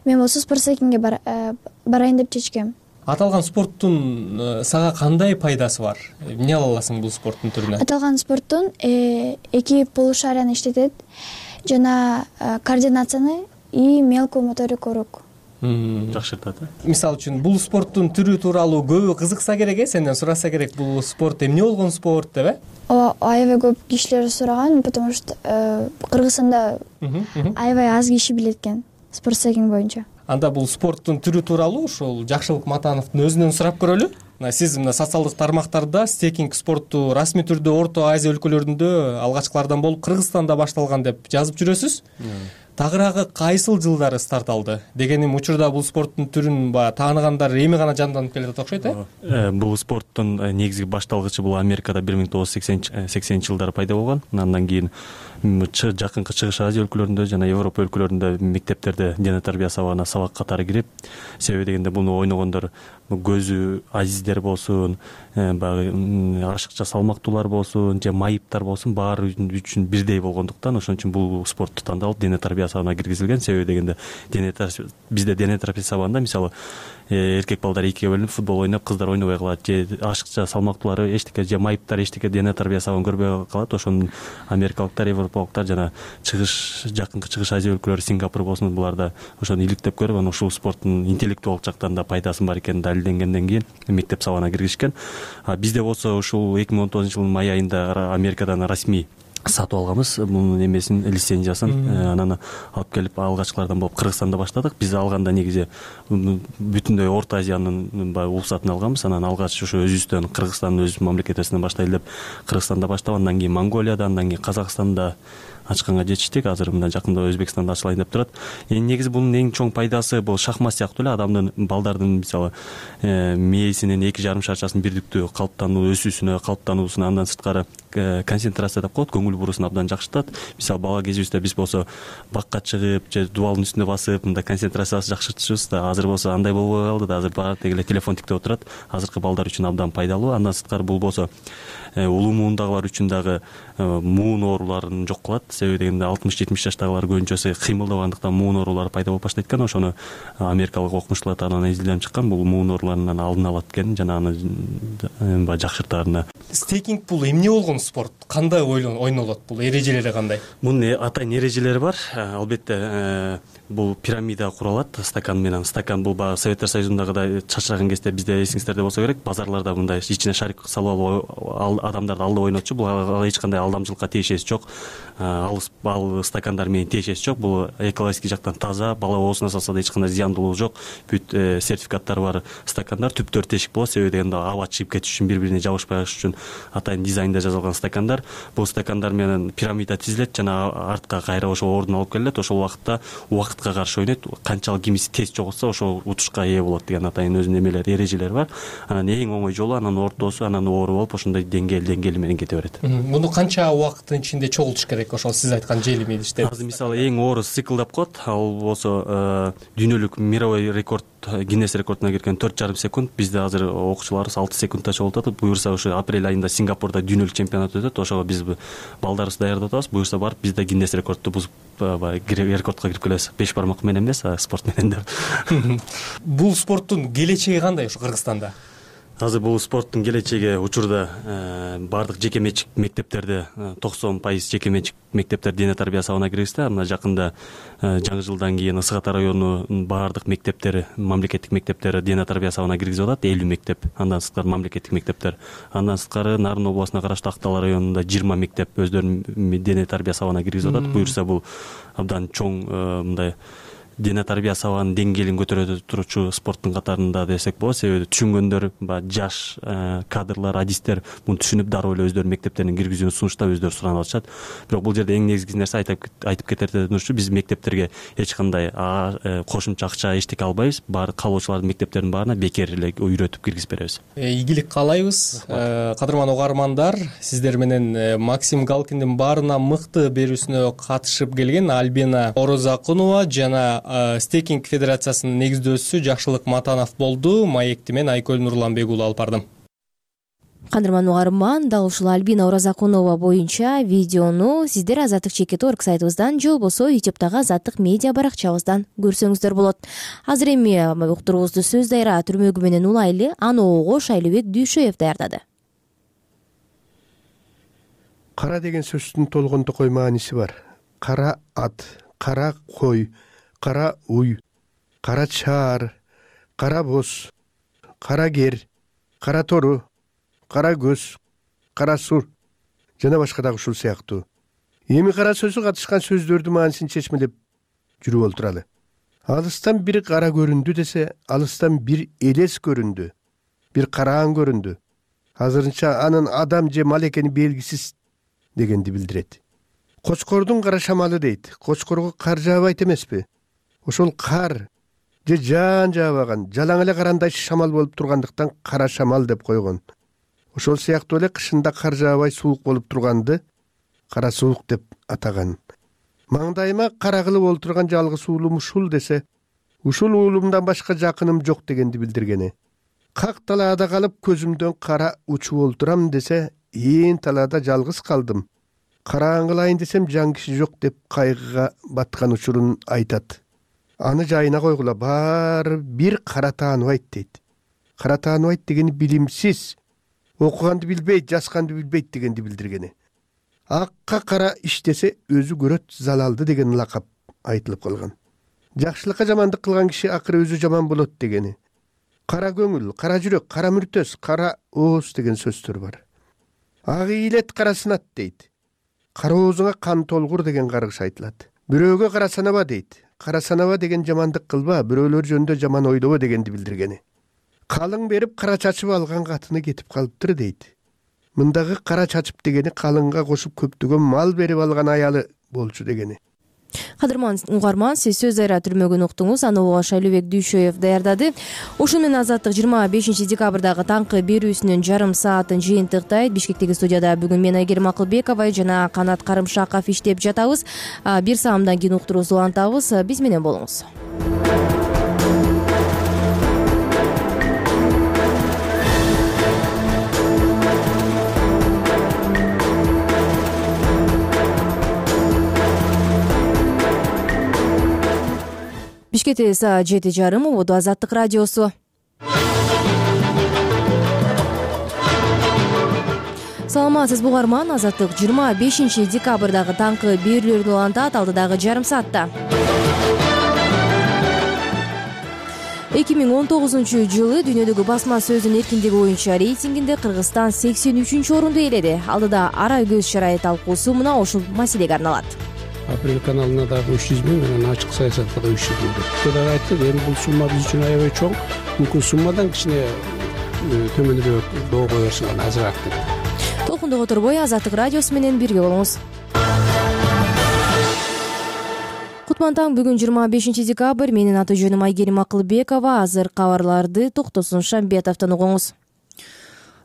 мен болсо спорт стейкингге барайын деп чечкем. Аталган спорттун сага кандай пайдасы бар? Эмне ала аласың бул спорттун түрүнөн? Аталган спорттун 2 полушарияны иштетет жана координацияны и мелкую моторику рук жакшыртат. Мисалы үчүн бул спорттун түрү тууралуу көбү кызыкса керек, сенден сураса керек, бул спорт эмне болгон спорт деп, аябай көп кишилер сураган, потому что Кыргызстанда аябай аз киши билет экен спорт стейкинг боюнча. Анда бул спорттун түрү тууралуу ошол Жакшылык Матановдун өзүнөн сурап көрөлү. Сиз мына социалдык тармактарда стейкинг спорту расмий түрдө Орто Азия өлкөлөрүндө алгачкылардан болуп Кыргызстанда башталган деп жазып жүрөсүз. Тагыраагы кайсыл жылдары старт алды? Дегеним учурда бул спорттун түрүн тааныгандар эми гана жанданып келет окшойт, Бул спорттун негизги башталгычы бул Америкада 1980 жылдары пайда болгон. Андан кийин жакынкы Чыгыш Азия өлкөлөрүндө жана Европа өлкөлөрүндө мектептерде дене тарбия сабагына сабак катары кирип, себеби дегенде буну ойногондор көзү азиздер болсун, баягы ашыкча салмактуулар болсун же майыптар болсун, баары үчүн бирдей болгондуктан ошон үчүн бул спортту тандалып дене тарбия сабагына киргизилген. Себеби дегенде бизде дене тарбия сабагында мисалы эркек балдар экиге бөлүнүп футбол ойноп, кыздар ойнобой калат, же ашыкча салмактуулары эчтеке же майыптар эчтеке дене тарбия сабагын көрбөй калат. Ошону америкалыктар, европалыктар жана жакынкы Чыгыш Азия өлкөлөрү, Сингапур болсун, буларда ошону иликтеп көрүп, анан ушул спорттун интеллектуалдык жактан да пайдасы бар экени далилденгенден кийин мектеп сабагына киргизишкен. Бизде болсо ушул 2019-жылдын май айында Америкадан расмий сатып алганбыз бунун эмесин, лицензиясын. Анан алып келип алгачкылардан болуп Кыргызстанда баштадык. Биз алганда негизи бүтүндөй Орто Азиянын уруксатын алганбыз. Анан алгач ошо өзүбүздөн Кыргызстандын өз мамлекетибизден баштайлы деп Кыргызстанда баштап, андан кийин Монголияда, андан кийин Казакстанда ачканга жетиштик. Азыр мына жакында Өзбекстанда ачылайын деп турат. Негизи бунун эң чоң пайдасы бул шахмат сыяктуу эле адамдын, балдардын мисалы мээсинин 2,5 шарчасынын бирдиктүү калыптануу, өсүүсүнө, калыптануусуна, андан сырткары концентрация деп коет, көңүл бурусун абдан жакшыртат. Мисалы бала кезибизде биз болсо бакка чыгып же дубалдын үстүнө басып мындай концентрациябызды жакшыртчубуз да, азыр болсо андай болбой калды да, азыр баары деги эле телефон тиктеп отурат. Азыркы балдар үчүн абдан пайдалуу. Андан сырткары бул болсо улуу муундагылар үчүн дагы муун ооруларын жок кылат. Себеби дегенде 60-70 жаштагылар көбүнчөсү кыймылдабагандыктан муун оорулары пайда болуп баштайт экен. Ошону америкалык окумуштуулар тарабынан изилденип чыккан. Бул муун ооруларынан алын алат экен жана аны баягы жакшыртаарына. Стейкинг бул эмне болгон спорт? Кандай ойнолот? Бул эрежелери кандай? Мунун атайын эрежелери бар. Албетте бул пирамида куралат стакан менен. Стакан бул баягы Советтер Союзундагыдай чачыраган кезде бизде эсиңиздерде болсо керек, базарларда мындай ичине шарик салып алып адамдарды алдап ойнотчу. Бул эч кандай алдамчылыкка тиешеси жок. Ал стакандар менен тиешеси жок. Бул экологический жактан таза, бала оозуна салса да эч кандай зыяндуулугу жок. Бүт сертификаттары бар стакандар, түптөр тешик болот. Себеби дегенде аба чыгып кетиш үчүн, бири-бирине жабышпай калыш үчүн атайын дизайнда жасалган стакандар. Бул стакандар менен пирамида тизилет жана артка кайра ошол ордун алып келет. Ошол убакытка каршы ойнойт. Канчалык кимиси тез жоготса ошол утушка ээ болот деген атайын өзүнүн эмелери, эрежелери бар. Анан эң оңой жолу анан ортосу, анан оору болуп ошондой деңгээл менен кете берет. Муну канча убакыттын ичинде чогултуш керек? Ошол сиз айткан желим идиштер. Азыр мисалы эң оор цикл деп коет. Ал болсо дүйнөлүк мировой рекорд, Гиннес рекордуна кирген 4,5 секунд. Бизде азыр окуучуларыбыз 6 секундта чогултат. Буюрса ошо апрель айында Сингапурда дүйнөлүк чемпионат өтөт. Ошого биз балдарыбызды даярдап атабыз. Буюрса барып бизде Гиннес рекордду бузуп рекордко кирип келебиз. 5 бармак менен эмес, спорт менен деп. Бул спорттун келечеги кандай ушу Кыргызстанда? Азыр бул спорттун келечеги учурда баардык жеке менчик мектептерде 90% жеке менчик мектептер дене тарбия сабагына киргизди. Мына жакында жаңы жылдан кийин Ысык Ата районунун баардык мектептери, мамлекеттик мектептери дене тарбия сабагына киргизип атат. 50 мектеп, андан сырткары мамлекеттик мектептер. Андан сырткары Нарын областына караштуу Актал районунда 20 мектеп өздөрүнүн дене тарбия сабагына киргизип атат. Буюрса бул абдан чоң мындай дене тарбия сабагынын деңгээлин көтөрө турчу спорттун катарында десек болот. Себеби түшүнгөндөр, жаш кадрлар, адистер муну түшүнүп дароо эле өздөрүнүн мектептерине киргизүүнү сунуштап өздөрү суранып атышат. Бирок бул жерде эң негизги нерсе айтып кетерден биз мектептерге эч кандай кошумча акча эчтеке албайбыз. Баары калоочулардын мектептеринин баарына бекер эле үйрөтүп киргизип беребиз. Ийгилик каалайбыз. Кадырман угармандар, сиздер менен Максим Галкиндин баарына мыкты берүүсүнө катышып келген Альбина Оразакунова жана Стейкинг федерациясынын негиздөөчүсү Жакшылык Матанов болду. Маекти мен Айкөл Нурланбек уулу алып бардым. Кадырман угарман, дал ушул Альбина Оразакунова боюнча видеону сиздер Азаттык чекит.org сайтыбыздан же болбосо YouTube'дагы Азаттык медиа баракчабыздан көрсөңүздөр болот. Азыр эми уктуруубузду сөз дайра түрмөгү менен улайлы. Аны Огош Айлыбек Дүйшөев даярдады. Кара деген сөздүн толгондо мааниси бар. Кара ат, кара кой, кара уй, кара чаар, кара боз, кара кер, кара тору, кара көз, кара сур жана башка дагы ушул сыяктуу. Эми кара сөзү катышкан сөздөрдүн маанисин чечмелеп жүрүп олтуралы. Алыстан бир кара көрүндү десе, алыстан бир элес көрүндү, бир караан көрүндү. Азырынча анын адам же мал экени белгисиз дегенди билдирет. Кочкордун кара шамалы дейт. Кочкорго кар жаабайт эмеспи? Ошол кар же жаан жаабаган, жалаң эле карандай шамал болуп тургандыктан кара шамал деп койгон. Ошол сыяктуу эле кышында кар жаабай суук болуп турганды кара суук деп атаган. Маңдайыма кара кылып олтурган жалгыз уулум ушул десе, ушул уулумдан башка жакыным жок дегенди билдиргени. Как талаада калып көзүмдөн кара учуп олтурам десе, ээн талаада жалгыз калдым. Караан кылайын десем жан киши жок деп кайгыга баткан учурун айтат. Аны жайына койгула, баары бир кара тааныбайт дейт. Кара тааныбайт дегени билимсиз, окуганды билбейт, жазганды билбейт дегенди билдиргени. Акка кара иштесе өзү көрөт залалды деген лакап айтылып калган. Жакшылыкка жамандык кылган киши акыры өзү жаман болот дегени. Кара көңүл, кара жүрөк, кара мүртөс, кара ооз деген сөздөр бар. Ак ийилет, кара сынат дейт. Кара оозуңа кан толгур деген каргыш айтылат. Бирөөгө кара санаба дейт. Кара санаба деген жамандык кылба, бирөөлөр жөнүндө жаман ойлобо дегенди билдиргени. Калың берип кара чачып алган катыны кетип калыптыр дейт. Мындагы кара чачып дегени калыңга кошуп көптөгөн мал берип алган аялы болчу дегени. Кадырман угарман, сиз сөз айра түрмөгүн уктуңуз. Аны угуш Айлыбек Дүйшөев даярдады. Ушун менен Азаттык 25 декабрдагы таңкы берүүсүнүн жарым саатын жыйынтыктайт. Бишкектеги студияда бүгүн мен Айгерим Акылбекова жана Канат Карымшаков иштеп жатабыз. Бир саамдан кийин уктуруубузду улантабыз. Биз менен болуңуз. Бишкекте саат 7:30 убуду Азаттык радиосу. Саламатсызбы угарман, Азаттык 25 декабрдагы таңкы берүүлөрдү улантат алдыдагы жарым саатта. 2019-жылы дүйнөдөгү басма сөздүн эркиндиги боюнча рейтингинде Кыргызстан 83-орунду ээледи. Алдыда ара көз чарай талкуусу мына ушул маселеге арналат. Апрель каналына дагы 300 миң менен ачык саясатка да 300 миң. Кудай айтты, эми бул сумма биз үчүн аябай чоң. Мүмкүн суммадан кичине төмөнүрөөк доо кое берсең азыраак деп. Толкунду которбой Азаттык радиосу менен бирге болуңуз. Кутман таң, бүгүн 25 декабрь. Менин аты жөнүм Айгерим Акылбекова. Азыр кабарларды Токтосун Шамбетовдон угуңуз.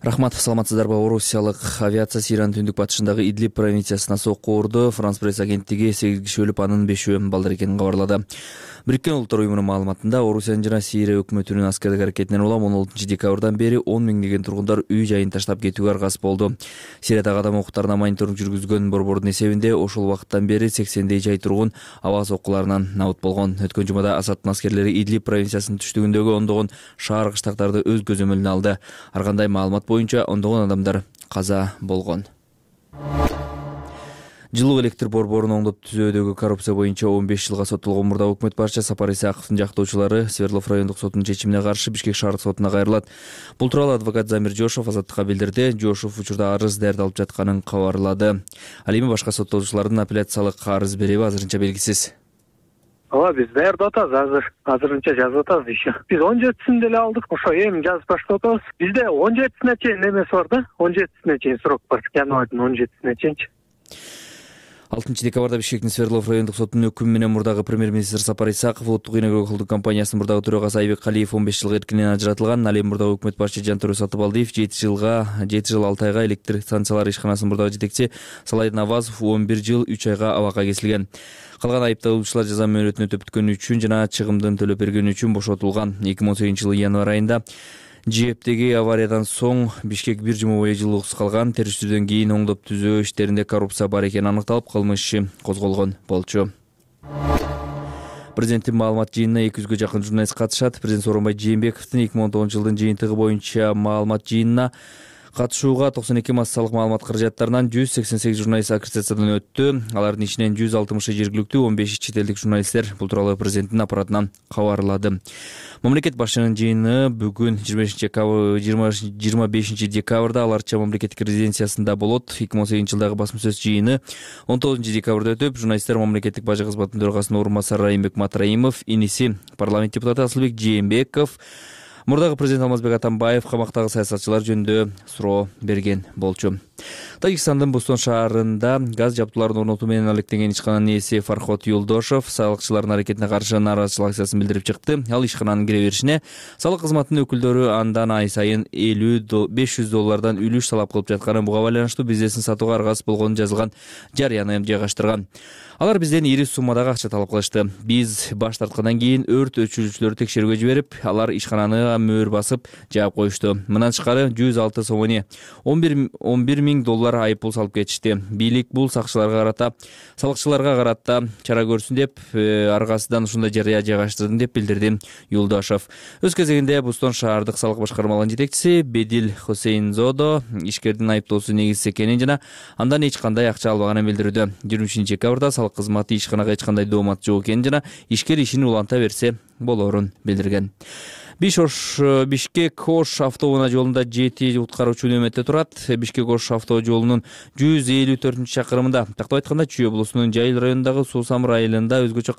Рахмат, саламатсыздарбы? Орусиялык авиация Сириянын түндүк батышындагы Идлиб провинциясына сокку урду. Франс пресс агенттиги 8 киши өлүп, анын 5-өө балдар экенин кабарлады. Бириккен Улуттар уюмунун маалыматында Орусиянын жана Сирия өкмөтүнүн аскердик аракетинен улам 16 декабрдан бери 10 миңдеген тургундар үй жайын таштап кетүүгө аргасыз болду. Сириядагы адам укуктарына мониторинг жүргүзгөн борбордун эсебинде ошол убакыттан бери 80дей жай тургун аба соккуларынан набыт болгон. Өткөн жумада Асадтын аскерлери Идлиб провинциясынын түштүгүндөгү ондогон шаар кыштактарды өз көзөмөлүнө алды. Ар кандай маалымат боюнча ондогон адамдар каза болгон. Жылуу электр борборун оңдоп түзүүдөгү коррупция боюнча 15 жылга соттолгон мурдагы өкмөт башчы Сапар Исаковдун жактоочулары Свердлов райондук сотунун чечимине каршы Бишкек шаардык сотуна кайрылат. Бул тууралуу адвокат Замир Жошов Азаттыкка билдирди. Жошов учурда арыз даярдалып жатканын кабарлады. Ал эми башка соттолуучулардын апелляциялык арыз береби азырынча белгисиз. Ооба, биз даярдап атабыз, азырынча жазып атабыз еще. Биз 17-син деле алдык, ошо эми жазып баштап атабыз. Бизде 17-сине чейин эмеси бар да, 17-сине чейин срок бар. Январдын 17-сине чейинчи. 6 декабрда Бишкектин Свердлов райондук сотунун өкүмү менен мурдагы премьер-министр Сапар Исаков Улуттук ийнөк холдинг компаниясынын мурдагы төрагасы Айбек Калиев 15 жылга эркинен ажыратылган. Ал эми мурдагы өкмөт башчы Жантөрө Сатыбалдиев 7 жыл 6 айга электр станциялары ишканасынын мурдагы жетекчи Салай Навазов 11 жыл 3 айга абакка кесилген. Калган айыпталуучулар жаза мөөнөтүн өтөп бүткөнү үчүн жана чыгымдын төлөп бергени үчүн бошотулган. 2018-жылы январь айында ЖЭПтеги авариядан соң Бишкек бир жума бою жылууксуз калган. Териштүүдөн кийин оңдоп түзөө иштеринде коррупция бар экени аныкталып, кылмыш иши козголгон болчу. Президенттин маалымат жыйынына 200гө жакын журналист катышат. Президент Сооронбай Жээнбековдун 2019-жылдын жыйынтыгы боюнча маалымат жыйынына катышууга 92 массалык маалымат каражаттарынан 188 журналист аккредитациядан өттү. Алардын ичинен 160 жергиликтүү, 15 чет элдик журналисттер. Бул тууралуу президенттин аппаратынан кабарлады. Мамлекет башчынын жыйыны бүгүн 25 декабрда аларча мамлекеттик резиденциясында болот. 2018-жылдагы басма сөз жыйыны 19 декабрда өтүп, журналисттер мамлекеттик бажы кызматынын төрагасынын орун басары Райымбек Матраимов, иниси парламент депутаты Асылбек Жээнбеков, мурдагы президент Алмазбек Атамбаев камактагы саясатчылар жөнүндө суроо берген болчу. Тажикстандын Бустон шаарында газ жабдууларын орнотуу менен алектенген ишкананын ээси Фархот Юлдошов салыкчылардын аракетине каршы нааразычылык акциясын билдирип чыкты. Ал ишкананын кире беришине салык кызматынын өкүлдөрү андан ай сайын $500 үлүш талап кылып жатканын, буга байланыштуу бизнесин сатууга аргасыз болгону жазылган жарыяны жайгаштырган. Алар бизден ири суммадагы акча талап кылышты. Биз баш тарткандан кийин өрт өчүрүүчүлөрдү текшерүүгө жиберип, алар ишкананы мөөр басып жаап коюшту. Мындан тышкары 106 сомони $11 миң айыппул салып кетишти. Бийлик бул салыкчыларга карата чара көрсүн деп, аргасыздан ушундай жарыя жайгаштырдым деп билдирди Юлдашов. Өз кезегинде Бустон шаардык салык башкармалыгынын жетекчиси Бедил Хосейнзодо ишкердин айыптоосу негизсиз экенин жана андан эч кандай акча албаганын билдирүүдө. 20 декабрда салык кызматы ишканага эч кандай доомат жок экенин жана ишкер ишин уланта берсе болоорун билдирген. Бишкек-Ош автоунаа жолунда 7 куткаруучу нөөмөттө турат. Бишкек-Ош автожолунун 154 чакырымында, тактап айтканда Чүй облусунун Жайыл районундагы Суусамыр айылында өзгөчө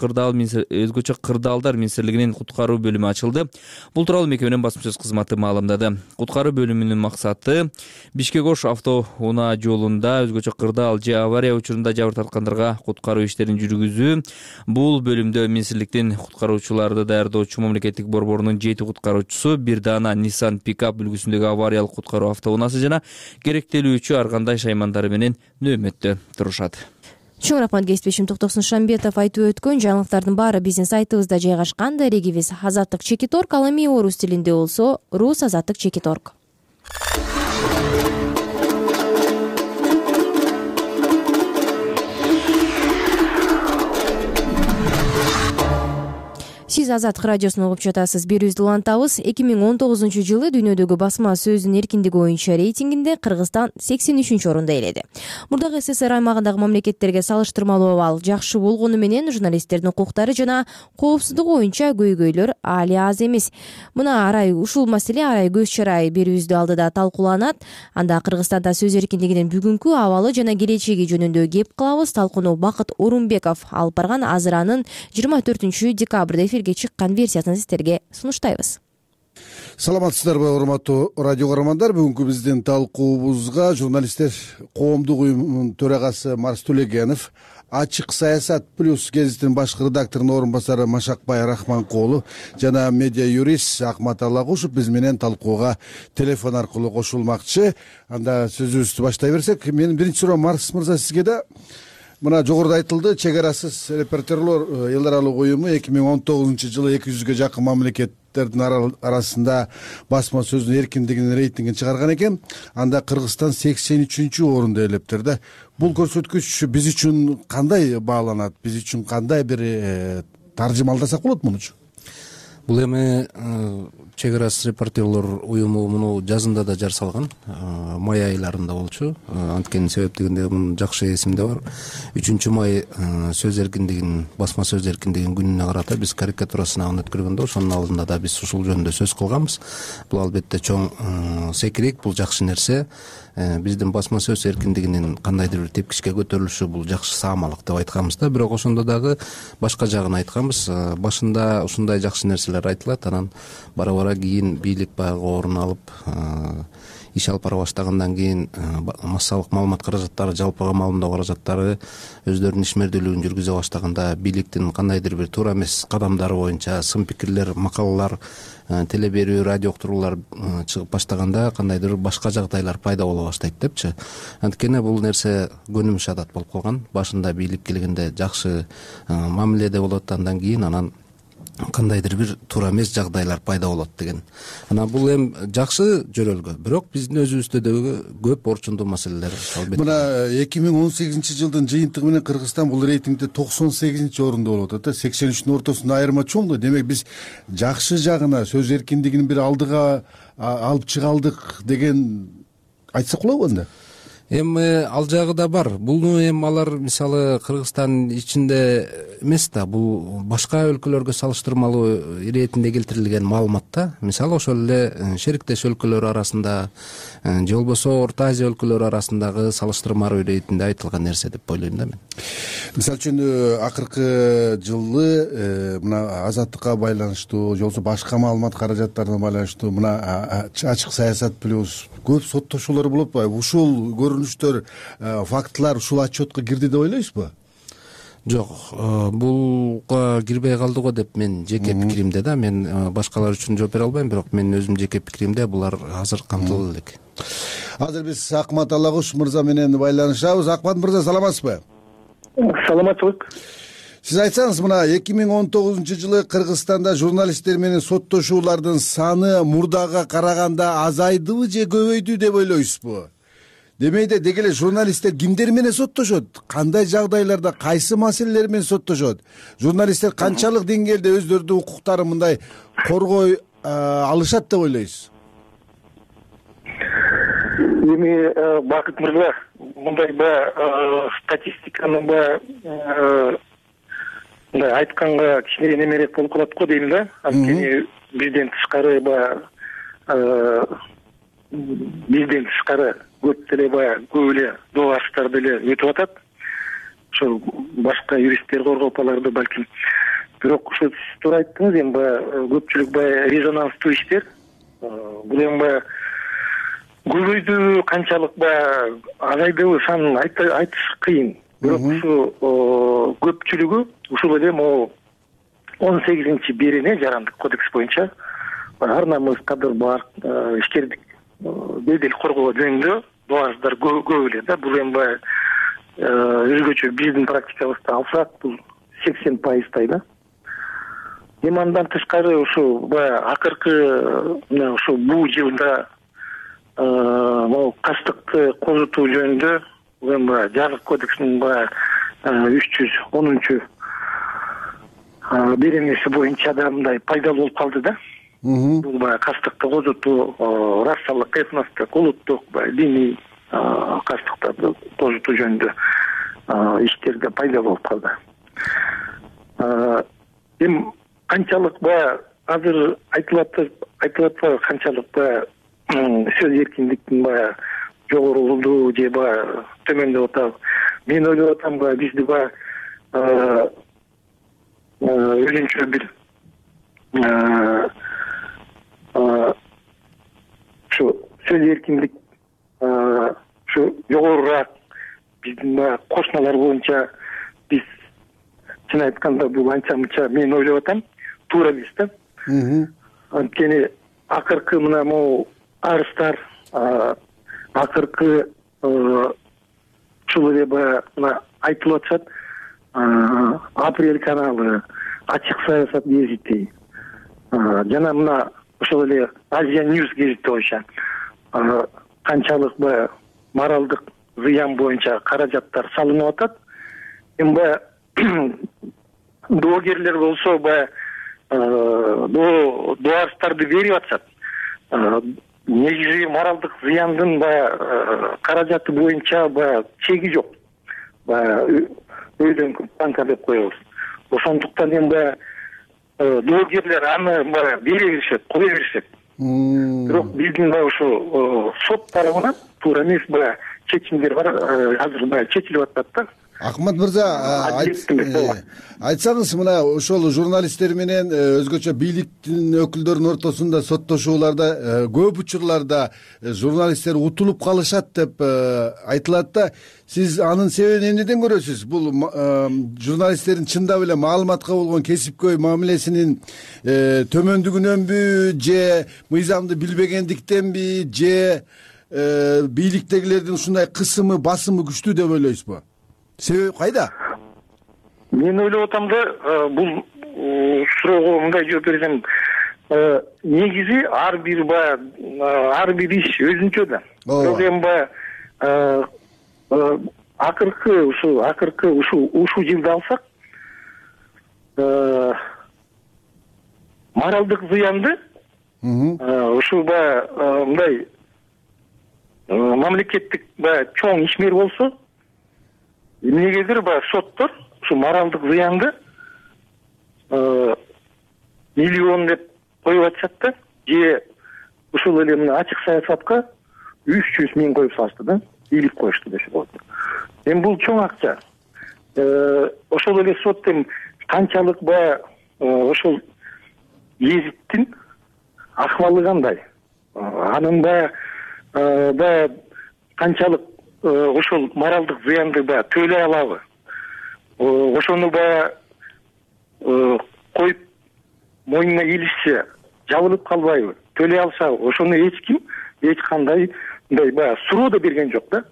кырдаалдар министрлигинин куткаруу бөлүмү ачылды. Бул тууралуу мекеменин басма сөз кызматы маалымдады. Куткаруу бөлүмүнүн максаты Бишкек-Ош автоунаа жолунда өзгөчө кырдаал же авария учурунда жабыр тарткандарга куткаруу иштерин жүргүзүү. Бул бөлүмдө министрликтин куткаруучуларды даярдоочу мамлекеттик борборунун 7 куткаруучусу, бир даана Nissan пикап үлгүсүндөгү авариялык куткаруу автоунаасы жана керектелүүчү ар кандай шаймандары менен нөөмөттө турушат. Чоң рахмат кесиптешим Токтосун Шамбетов айтып өткөн жаңылыктардын баары биздин сайтыбызда жайгашкан. Дарегибиз Азаттык Чекиторг, ал эми орус тилинде болсо Рус Азаттык Чекиторг. Сиз Азаттык радиосун угуп жатасыз. Берүүбүздү улантабыз. 2019-жылы дүйнөдөгү басма сөздүн эркиндиги боюнча рейтингинде Кыргызстан 83-орунду ээледи. Мурдагы СССР аймагындагы мамлекеттерге салыштырмалуу абал жакшы болгону менен журналисттердин укуктары жана коопсуздугу боюнча көйгөйлөр али аз эмес. Ушул маселе арай көз чарай берүүбүздү алдыда талкууланат. Анда Кыргызстанда сөз эркиндигинин бүгүнкү абалы жана келечеги жөнүндө кеп кылабыз. Талкууну Бакыт Орунбеков алып барган. Азыр анын 24 декабрда чыккан версиясын сиздерге сунуштайбыз. Саламатсыздарбы, урматтуу радио каармандар. Бүгүнкү биздин талкуубузга журналисттер коомдук уюмунун төрагасы Марс Төлегенов, Ачык саясат плюс гезитинин башкы редакторунун орун басары Машакбай Рахманкулов жана медиа юрист Акмат Алагушев биз менен талкууга телефон аркылуу кошулмакчы. Анда сөзүбүздү баштай берсек, менин биринчи суроом Марс мырза сизге да. Мына жогоруда айтылды, чек арасыз репортерлор элдер аралык уюму 2019-жылы 200ге жакын мамлекеттердин арасында басма сөздүн эркиндигинин рейтингин чыгарган экен. Анда Кыргызстан 83-орунду ээлептир да. Бул көрсөткүч биз үчүн кандай бааланат? Биз үчүн кандай бир таржымалдасак болот мунучу? Бул эми чек арасыз репортерлор уюму муну жазында да жар салган, май айларында болчу. Анткени себептигинде мунун жакшы эсимде бар. 3-май сөз эркиндигинин, басма сөз эркиндигинин күнүнө карата биз карикатура сынагын өткөргөндө ошонун алдында да биз ушул жөнүндө сөз кылганбыз. Бул албетте чоң секирек, бул жакшы нерсе. Биздин басма сөз эркиндигинин кандайдыр бир тепкичке көтөрүлүшү бул жакшы саамалык деп айтканбыз да. Бирок ошондо дагы башка жагын айтканбыз. Башында ушундай жакшы нерселер айтылат, анан бара-бара кийин бийлик баягы орун алып, иш алып бара баштагандан кийин массалык маалымат каражаттары, жалпыга маалымдоо каражаттары өздөрүнүн ишмердүүлүгүн жүргүзө баштаганда бийликтин кандайдыр бир туура эмес кадамдары боюнча сын пикирлер, макалалар, теле берүү, радио уктуруулар чыгып баштаганда кандайдыр башка жагдайлар пайда боло баштайт депчи. Анткени бул нерсе көнүмүш адат болуп калган. Башында бийлик келгенде жакшы мамиледе болот, андан кийин анан кандайдыр бир туура эмес жагдайлар пайда болот деген. Анан бул эми жакшы жөрөлгө, бирок биздин өзүбүздө дагы көп орчундуу маселелер албетте. Мына 2018-жылдын жыйынтыгы менен Кыргызстан бул рейтингде 98-орунда болуп атат. 83-тün ортосунда айырма чоң да. Демек биз жакшы жагына, сөз эркиндигин бир алдыга алып чыга алдык деген айтсак болобу анда? Эми ал жагы да бар. Буну эми алар мисалы Кыргызстан ичинде эмес да, бул башка өлкөлөргө салыштырмалуу иретинде келтирилген маалымат да. Мисалы ошол эле шериктеш өлкөлөр арасында же болбосо Орто Азия өлкөлөрү арасындагы салыштырмалуу иретинде айтылган нерсе деп ойлойм да мен. Мисалы үчүн акыркы жылы мына азаттыкка байланыштуу же болбосо башка маалымат каражаттарына байланыштуу мына ачык саясат плюс көп соттошуулар болуп атпайбы? Ушул көрүнүштөр, фактылар ушул отчетко кирди деп ойлойсузбу? Жок, булга кирбей калды го деп мен жеке пикиримде да, мен башкалар үчүн жооп бере албайм, бирок менин өзүм жеке пикиримде булар азыр камтылып элек. Азыр биз Акмат Алагуш мырза менен байланышабыз. Акмат мырза, саламатсызбы? Саламаттык. Сиз айтсаңыз, мына 2019-жылы Кыргызстанда журналисттер менен соттошуулардын саны мурдага караганда азайдыбы же көбөйдү деп ойлойсузбу? Демейде деги эле журналисттер кимдер менен соттошот? Кандай жагдайларда, кайсы маселелер менен соттошот? Журналисттер канчалык деңгээлде өздөрүнүн укуктарын мындай коргой алышат деп ойлойсуз? Эми Бакыт мырза, мындай статистиканы мындай айтканга кичине немерээк болуп калат го дейм да. Анткени бизден тышкары баягы көп эле догаштар деле өтүп атат. Ошо башка юристтер коргоп аларды балким. Бирок ошо сиз туура айттыңыз, эми баягы көпчүлүк баягы резонанстуу иштер. Бул эми баягы көбөйдүбү, канчалык баягы азайдыбы санын айтыш кыйын. Бирок ушу көпчүлүгү ушул эле могу 18-берене Жарандык кодекс боюнча ар намыс, кадыр, бак, ишкердик бедел коргоо жөнүндө доаждар көп эле да. Бул эми баягы өзгөчө биздин практикабызда алсак, бул 80% да. Эми андан тышкары ушу баягы акыркы ушу бул жылда могу кастыкты козутуу жөнүндө бул эми баягы Жазык кодексинин баягы 310 беренеси боюнча да мындай пайдалуу болуп калды да. Бул баягы кастыкты козутуу, расалык, этностук, улуттук, диний кастыктарды козутуу жөнүндө иштерде пайдалуу болуп калды. Эми канчалык баягы азыр айтылып атпайбы, канчалык баягы сөз эркиндиктин баягы жогорулугу же баягы төмөндөп атабы. Мен ойлоп атам, баягы бизди баягы өзүнчө бир ушу сөз эркиндик ушу жогорураак биздин баягы кошуналар боюнча биз чын айтканда бул анча мынча мен ойлоп атам туура эмес да. Анткени акыркы мына могу арыздар, акыркы ушул эле баягы мына айтылып атышат, Апрель каналы, Ачык саясат гезити, жана мына ошол эле Азия Ньюс гезити боюнча канчалык баягы моралдык зыян боюнча каражаттар салынып атат. Эми баягы доогерлер болсо баягы доарыздарды берип атышат. Негизи моралдык зыяндын баягы каражаты боюнча баягы чеги жок. Баягы өйдөн банка деп коебуз. Ошондуктан эми баягы доогерлер аны баягы бере беришет, кое беришет. Бирок биздин баягы ушу сот тарабынан туура эмес баягы чечимдер бар, азыр баягы чечилип атат да. Акмат мырза, айтсаңыз, мына ошол журналисттер менен өзгөчө бийликтин өкүлдөрүнүн ортосунда соттошууларда көп учурларда журналисттер утулуп калышат деп айтылат да. Сиз анын себебин эмнеден көрөсүз? Бул журналисттердин чындап эле маалыматка болгон кесипкөй мамилесинин төмөндүгүнөнбү, же мыйзамды билбегендиктенби, же бийликтегилердин ушундай кысымы, басымы күчтүү деп ойлойсузбу? Себеби кайда? Мен ойлоп атам да, бул суроого мындай жооп берсем, негизи ар бир иш өзүнчө да. Бирок эми баягы акыркы ушу жылды алсак, моралдык зыянды ушу баягы мындай мамлекеттик баягы чоң ишмер болсо, эмнегедир баягы соттор ушу моралдык зыянды миллион деп коюп атышат да, же ушул эле мына ачык саясатка 300 миң коюп салышты да, бийлик коюшту десе болот. Эми бул чоң акча. Ошол эле сот эми канчалык баягы ошол гезиттин акыбалы кандай, анын баягы канчалык ошол моралдык зыянды баягы төлөй алабы, ошону баягы коюп мойнуна илишсе жабылып калбайбы, төлөй алышабы, ошону эч кандай мындай баягы суроо да берген жок да.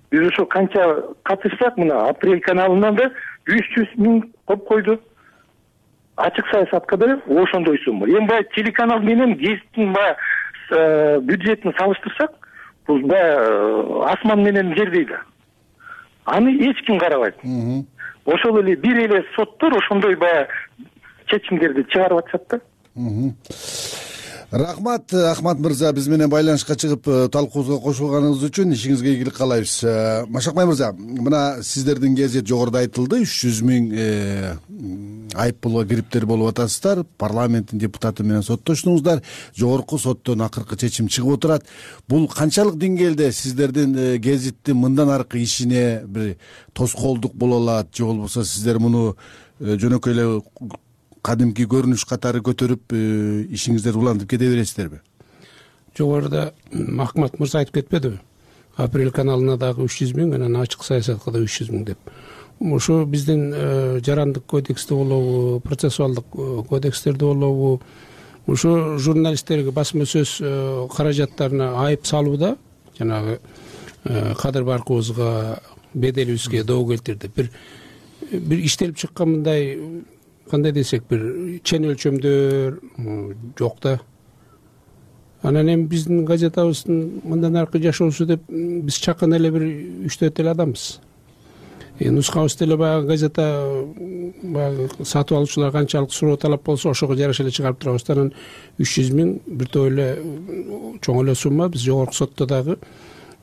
Биз ошо канча катышсак, мына Апрель каналынан да 300 миң коюп койду, ачык саясатка да ошондой сумма. Эми баягы телеканал менен гезиттин баягы бюджетин салыштырсак, бул баягы асман менен жердей да. Аны эч ким карабайт. Ошол эле бир эле соттор ошондой баягы чечимдерди чыгарып атышат да. Рахмат, Ахмат мырза, биз менен байланышка чыгып талкуубузга кошулганыңыз үчүн ишиңизге ийгилик каалайбыз. Машакбай мырза, мына сиздердин кезет жогоруда айтылды, 300 миң айып пулга кириптер болуп атасыздар. Парламенттин депутаты менен соттоштуңуздар. Жогорку соттон акыркы чечим чыгып отурат. Бул канчалык деңгээлде сиздердин гезиттин мындан аркы ишине бир тоскоолдук боло алат, же болбосо сиздер муну жөнөкөй эле кадимки көрүнүш катары көтөрүп ишиңиздерди улантып кете бересиздерби? Жогоруда Макмат мырза айтып кетпедиби? Апрель каналына дагы 300 000 менен ачык саясатка да 300 000 деп. Ошо биздин жарандык кодексте болобу, процессуалдык кодекстерде болобу, ошо журналисттерге басма сөз каражаттарына айып салууда жанагы кадыр баркыбызга, беделибизге доо келтирди. Бир иштелип чыккан мындай кандай десек бир чен өлчөмдөр жок да. Анан эми биздин газетабыздын мындан аркы жашоосу деп биз чакан эле бир 3-4 эле адамбыз. Нускабыз деле баягы газета баягы сатып алуучулар канчалык суроо талап болсо ошого жараша эле чыгарып турабыз. Анан 300 000 бир топ эле чоң эле сумма. Биз жогорку сотто дагы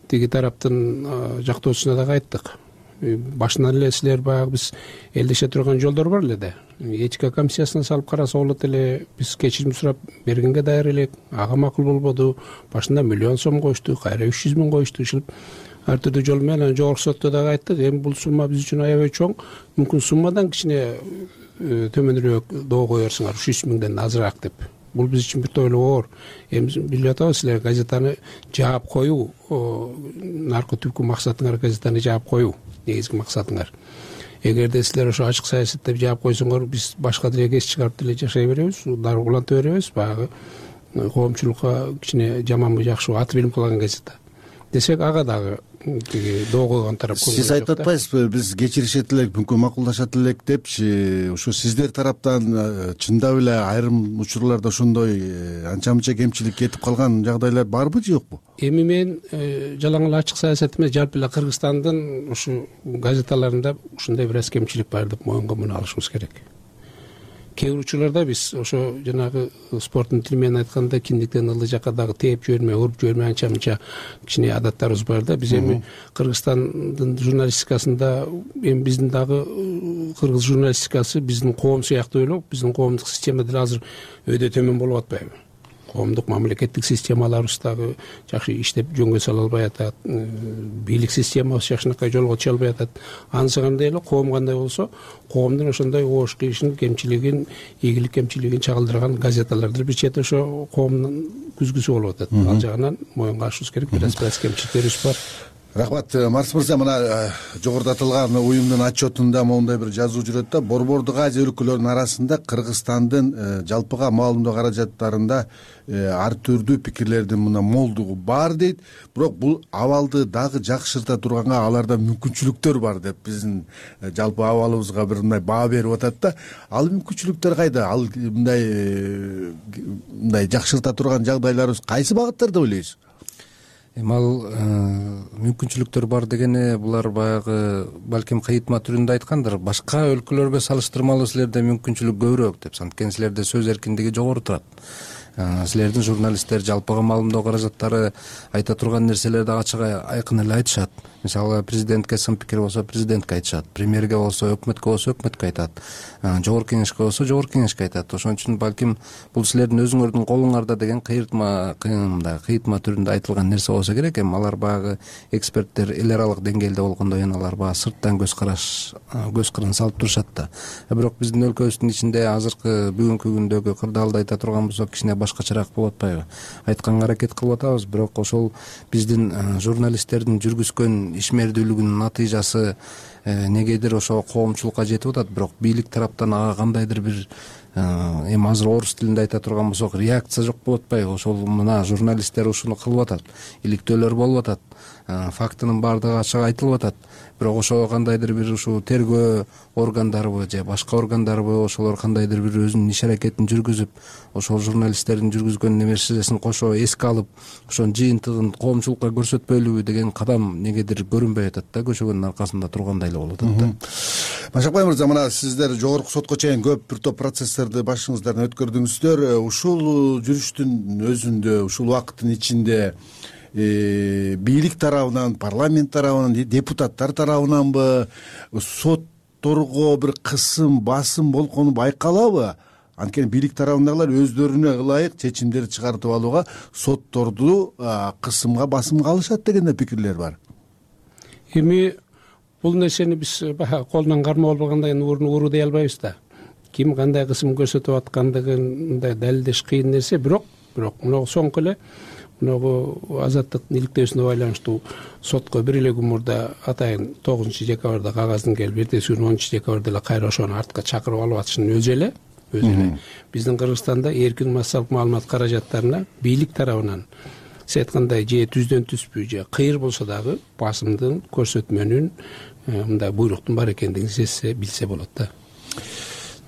тиги тараптын жактоочусуна дагы айттык. Башынан эле силер баягы биз элдеше турган жолдор бар эле да. Этика комиссиясына салып караса болот эле. Биз кечирим сурап бергенге даяр элек. Ага макул болбоду. Башында миллион сом коюшту, кайра 300 000 коюшту. Ушинтип ар түрдүү жол менен жогорку сотто дагы айттык. Эми бул сумма биз үчүн аябай чоң. Мүмкүн суммадан кичине төмөнүрөөк доо коерсуңар, 300 000ден азыраак деп. Бул биз үчүн бир топ эле оор. Эми билип атабыз, силер газетаны жаап коюу, наркы түпкү максатыңар газетаны жаап коюу, негизги максатыңар. Эгерде силер ошо ачык саясат деп жаап койсоңор, биз башка деле кес чыгарып деле жашай беребиз, дары уланта беребиз. Баягы коомчулукка кичине жаманбы жакшыбы аты билинип калган газета десек, ага дагы тиги доо койгон тарап. Сиз айтып атпайсызбы, биз кечиришет элек, мүмкүн макулдашат элек депчи? Ошо сиздер тараптан чындап эле айрым учурларда ошондой анча мынча кемчилик кетип калган жагдайлар барбы, же жокпу? Эми мен жалаң эле ачык саясат эмес, жалпы эле Кыргызстандын ушу газеталарында ушундай бир аз кемчилик бар деп моюнга муну алышыбыз керек. Кээ бир учурларда биз ошо жанагы спорттун тили менен айтканда киндиктен ылдый жакка дагы тээп жиберме, уруп жиберме анча мынча кичине адаттарыбыз бар да. Биз эми Кыргызстандын журналистикасында эми биздин дагы кыргыз журналистикасы биздин коом сыяктуу эле, биздин коомдук система деле азыр өйдө төмөн болуп атпайбы? Коомдук мамлекеттик системаларыбыз дагы жакшы иштеп жөнгө сала албай атат, бийлик системабыз жакшынакай жолго чыга албай атат. Анысы кандай эле, коом кандай болсо, коомдун ошондой оош кийишин, кемчилигин, ийгилик кемчилигин чагылдырган газеталарды бир чети ошо коомдун күзгүсү болуп атат. Ал жагынан моюнга ашыбыз керек, бир аз кемчиликтерибиз бар. Рахмат, Марс мырза. Мына жогоруда аталган уюмдун отчетунда моундай бир жазуу жүрөт да, Борбордук Азия өлкөлөрүнүн арасында Кыргызстандын жалпыга маалымдоо каражаттарында ар түрдүү пикирлердин мына молдугу бар дейт. Бирок бул абалды дагы жакшырта турганга аларда мүмкүнчүлүктөр бар деп биздин жалпы абалыбызга бир мындай баа берип атат да. Ал мүмкүнчүлүктөр кайда? Ал мындай жакшырта турган жагдайларыбыз кайсы багыттарда ойлойсуз? Эми ал мүмкүнчүлүктөр бар дегени булар баягы балким кыйытма түрүндө айткандыр. Башка өлкөлөргө салыштырмалуу силерде мүмкүнчүлүк көбүрөөк деп. Анткени силерде сөз эркиндиги жогору турат. Силердин журналисттер жалпыга маалымдоо каражаттары айта турган нерселерди ачык айкын эле айтышат. Мисалы президентке сын пикир болсо президентке айтышат, премьерге болсо, өкмөткө болсо өкмөткө айтат, жогорку кеңешке болсо жогорку кеңешке айтат. Ошон үчүн балким бул силердин өзүңөрдүн колуңарда деген кыйытма түрүндө айтылган нерсе болсо керек. Эми алар баягы эксперттер эл аралык деңгээлде болгондой алар баягы сырттан көз кырын салып турушат да. Бирок биздин өлкөбүздүн ичинде азыркы бүгүнкү күндөгү кырдаалды айта турган болсок кичине башкачараак болуп атпайбы? Айтканга аракет кылып атабыз, бирок ошол биздин журналисттердин жүргүзгөн ишмердүүлүгүнүн натыйжасы негедир ошо коомчулукка жетип атат. Бирок бийлик тараптан ага кандайдыр бир эми азыр орус тилинде айта турган болсок реакция жок болуп атпайбы? Ошол мына журналисттер ушуну кылып атат, иликтөөлөр болуп атат, фактынын баардыгы ачык айтылып атат. Бирок ошо кандайдыр бир ушу тергөө органдарыбы же башка органдарбы ошолор кандайдыр бир өзүнүн иш аракетин жүргүзүп, ошол журналисттердин жүргүзгөн нерсесин кошо эске алып, ошонун жыйынтыгын коомчулукка көрсөтпөйлүбү деген кадам негедир көрүнбөй атат да, көчөгөнүн аркасында тургандай эле болуп атат да. Машакбай мырза, мына сиздер жогорку сотко чейин көп бир топ процесстерди башыңыздан өткөрдүңүздөр. Ушул жүрүштүн өзүндө, ушул убакыттын ичинде бийлик тарабынан, парламент тарабынан, депутаттар тарабынанбы, сот сотторго бир кысым басым болгону байкалабы? Анткени бийлик тарабындагылар өздөрүнө ылайык чечимдерди чыгартып алууга сотторду кысымга басымга алышат деген да пикирлер бар. Эми бул нерсени биз баягы колунан кармап албагандай уру дей албайбыз да. Ким кандай кысым көрсөтүп аткандыгын мындай далилдеш кыйын нерсе, бирок мына соңку эле мына азаттыктын иликтөөсүнө байланыштуу сотко бир эле күн мурда атайын 9-декабрда кагаздын келип, эртеси күнү 10-декабрда эле кайра ошону артка чакырып алып атышынын өзү эле биздин Кыргызстанда эркин массалык маалымат каражаттарына бийлик тарабынан сиз айткандай же түздөн түспү же кыйыр болсо дагы басымдын көрсөтмөнүн мындай буйруктун бар экендигин сезсе билсе болот да.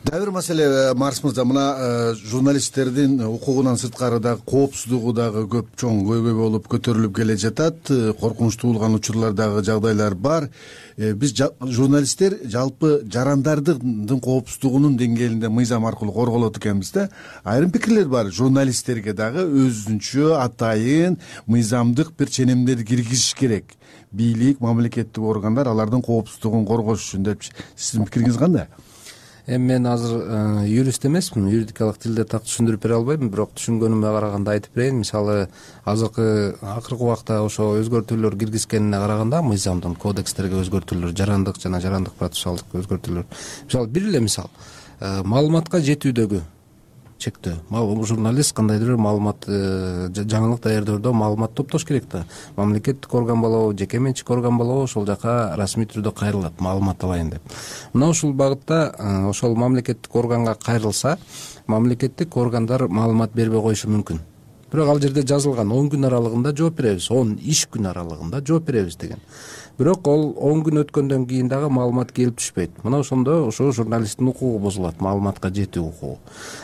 Дагы бир маселе Марс мырза, мына журналисттердин укугунан сырткары дагы коопсуздугу дагы көп чоң көйгөй болуп көтөрүлүп келе жатат. Коркунучтуу болгон учурлар дагы жагдайлар бар. Биз журналисттер жалпы жарандардын коопсуздугунун деңгээлинде мыйзам аркылуу корголот экенбиз да. Айрым пикирлер бар. Журналисттерге дагы өзүнчө атайын мыйзамдык бир ченемдерди киргизиш керек. Бийлик, мамлекеттик органдар алардын коопсуздугун коргош үчүн деп. Сиздин пикириңиз кандай? Эми мен азыр юрист эмесмин, юридикалык тилде так түшүндүрүп бере албайм, бирок түшүнгөнүмө караганда айтып берейин. Мисалы, акыркы убакта ошо өзгөртүүлөр киргизгенине караганда мыйзамдын кодекстерге өзгөртүүлөр, жарандык жана жарандык процессуалдык өзгөртүүлөр. Мисалы, бир эле мисал, маалыматка жетүүдөгү чектөө. Журналист кандайдыр бир маалымат, жаңылык даярдоодо маалымат топтош керек да. Мамлекеттик орган болобу, жеке менчик орган болобу, ошол жака расмий түрдө кайрылат, маалымат алайын деп. Мына ушул багытта ошол мамлекеттик органга кайрылса, мамлекеттик органдар маалымат бербей коюшу мүмкүн. Бирок ал жерде жазылган 10 күн аралыгында жооп беребиз, 10 иш күн аралыгында жооп беребиз деген. Бирок ол 10 күн өткөндөн кийин дагы маалымат келип түшпөйт. Мына ошондо ошо журналисттин укугу бузулат, маалыматка жетүү укугу.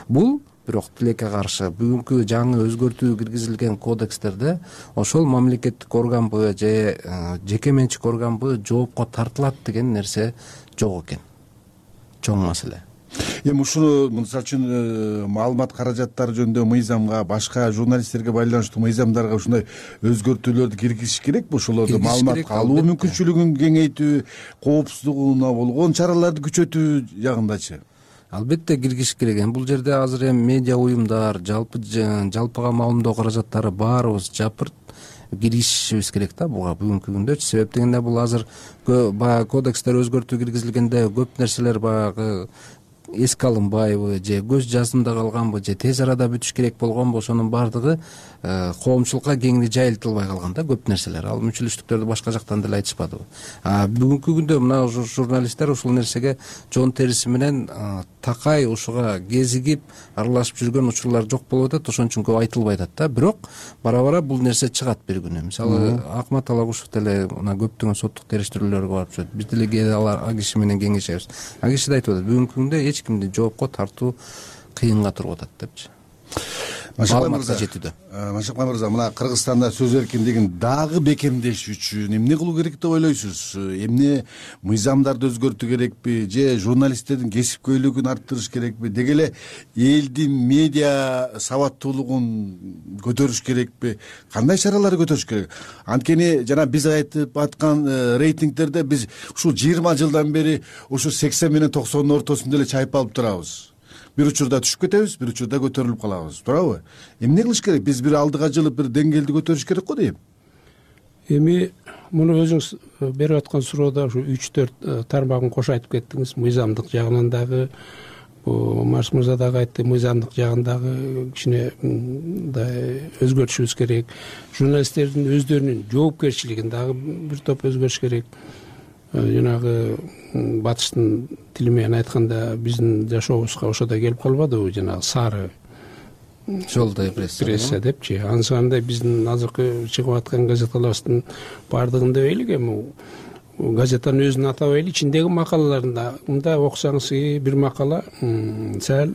Бул бирок тилекке каршы бүгүнкү жаңы өзгөртүү киргизилген кодекстерде ошол мамлекеттик органбы же жеке менчик органбы жоопко тартылат деген нерсе жок экен. Чоң маселе. Эми ушуну мисалы үчүн маалымат каражаттары жөнүндө мыйзамга, башка журналисттерге байланыштуу мыйзамдарга ушундай өзгөртүүлөрдү киргизиш керекпи? Ошолорду маалымат алуу мүмкүнчүлүгүн кеңейтүү, коопсуздугуна болгон чараларды күчөтүү жагындачы. Албетте киргизиш керек. Бул жерде азыр эми медиа уюмдар, жалпыга маалымдоо каражаттары баарыбыз жапырт киришибиз керек да буга бүгүнкү күндө. Себеп дегенде бул азыр баягы кодекстер өзгөртүү киргизилгенде көп нерселер баягы эске алынбайбы же көз жазымда калганбы же тез арада бүтүш керек болгонбу, ошонун баардыгы коомчулукка кеңири жайылтылбай калган да көп нерселер. Ал мүчүлүштүктөрдү башка жактан деле айтышпадыбы. Бүгүнкү күндө мына журналисттер ушул нерсеге жон териси менен такай ушуга кезигип аралашып жүргөн учурлар жок болуп атат, ошон үчүн көп айтылбай атат да. Бирок бара бир нерсе чыгат бир күнү. Мисалы, Акмат Алагушев деле мына көптөгөн соттук териштирүүлөргө барып жүрөт. Биз деле ал киши менен кеңешебиз. Ал киши да айтып атат, бүгүнкү күндө эч кимди жоопко тартуу кыйынга туруп атат депчи. Машакбай мырза, мына Кыргызстанда сөз эркиндигин дагы бекемдеш үчүн эмне кылуу керек деп ойлойсуз? Эмне мыйзамдарды өзгөртүү керекпи же журналисттердин кесипкөйлүгүн арттырыш керекпи? Деги эле элдин медиа сабаттуулугун көтөрүш керекпи? Кандай чараларды көтөрүш керек? Анткени жана биз айтып аткан рейтингдерде биз ушул 20 жылдан бери ушу 80 менен 90 ортосунда эле чайпалып турабыз. Бир учурда түшүп кетебиз, бир учурда көтөрүлүп калабыз, туурабы? Эмне кылыш керек? Биз бир алдыга жылып бир деңгээлди көтөрүш керек го дейм. Эми муну өзүңүз берип аткан суроодо ушу 3-4 тармагын кошо айтып кеттиңиз. Мыйзамдык жагынан дагы, Марс мырза дагы айтты, мыйзамдык жагындагы кичине мындай өзгөртүшүбүз керек. Журналисттердин өздөрүнүн жоопкерчилигин дагы бир топ өзгөрүш керек. Жанагы батыштын тили менен айтканда биздин жашообузга ошодо келип калбадыбы, жанагы сары жолдой пресса депчи. Ансында биздин азыркы чыгып аткан газеталарыбыздын баардыгын дебейлик, эми газетанын өзүн атабайли, ичиндеги макалаларында мындай окусаңыз бир макала сәл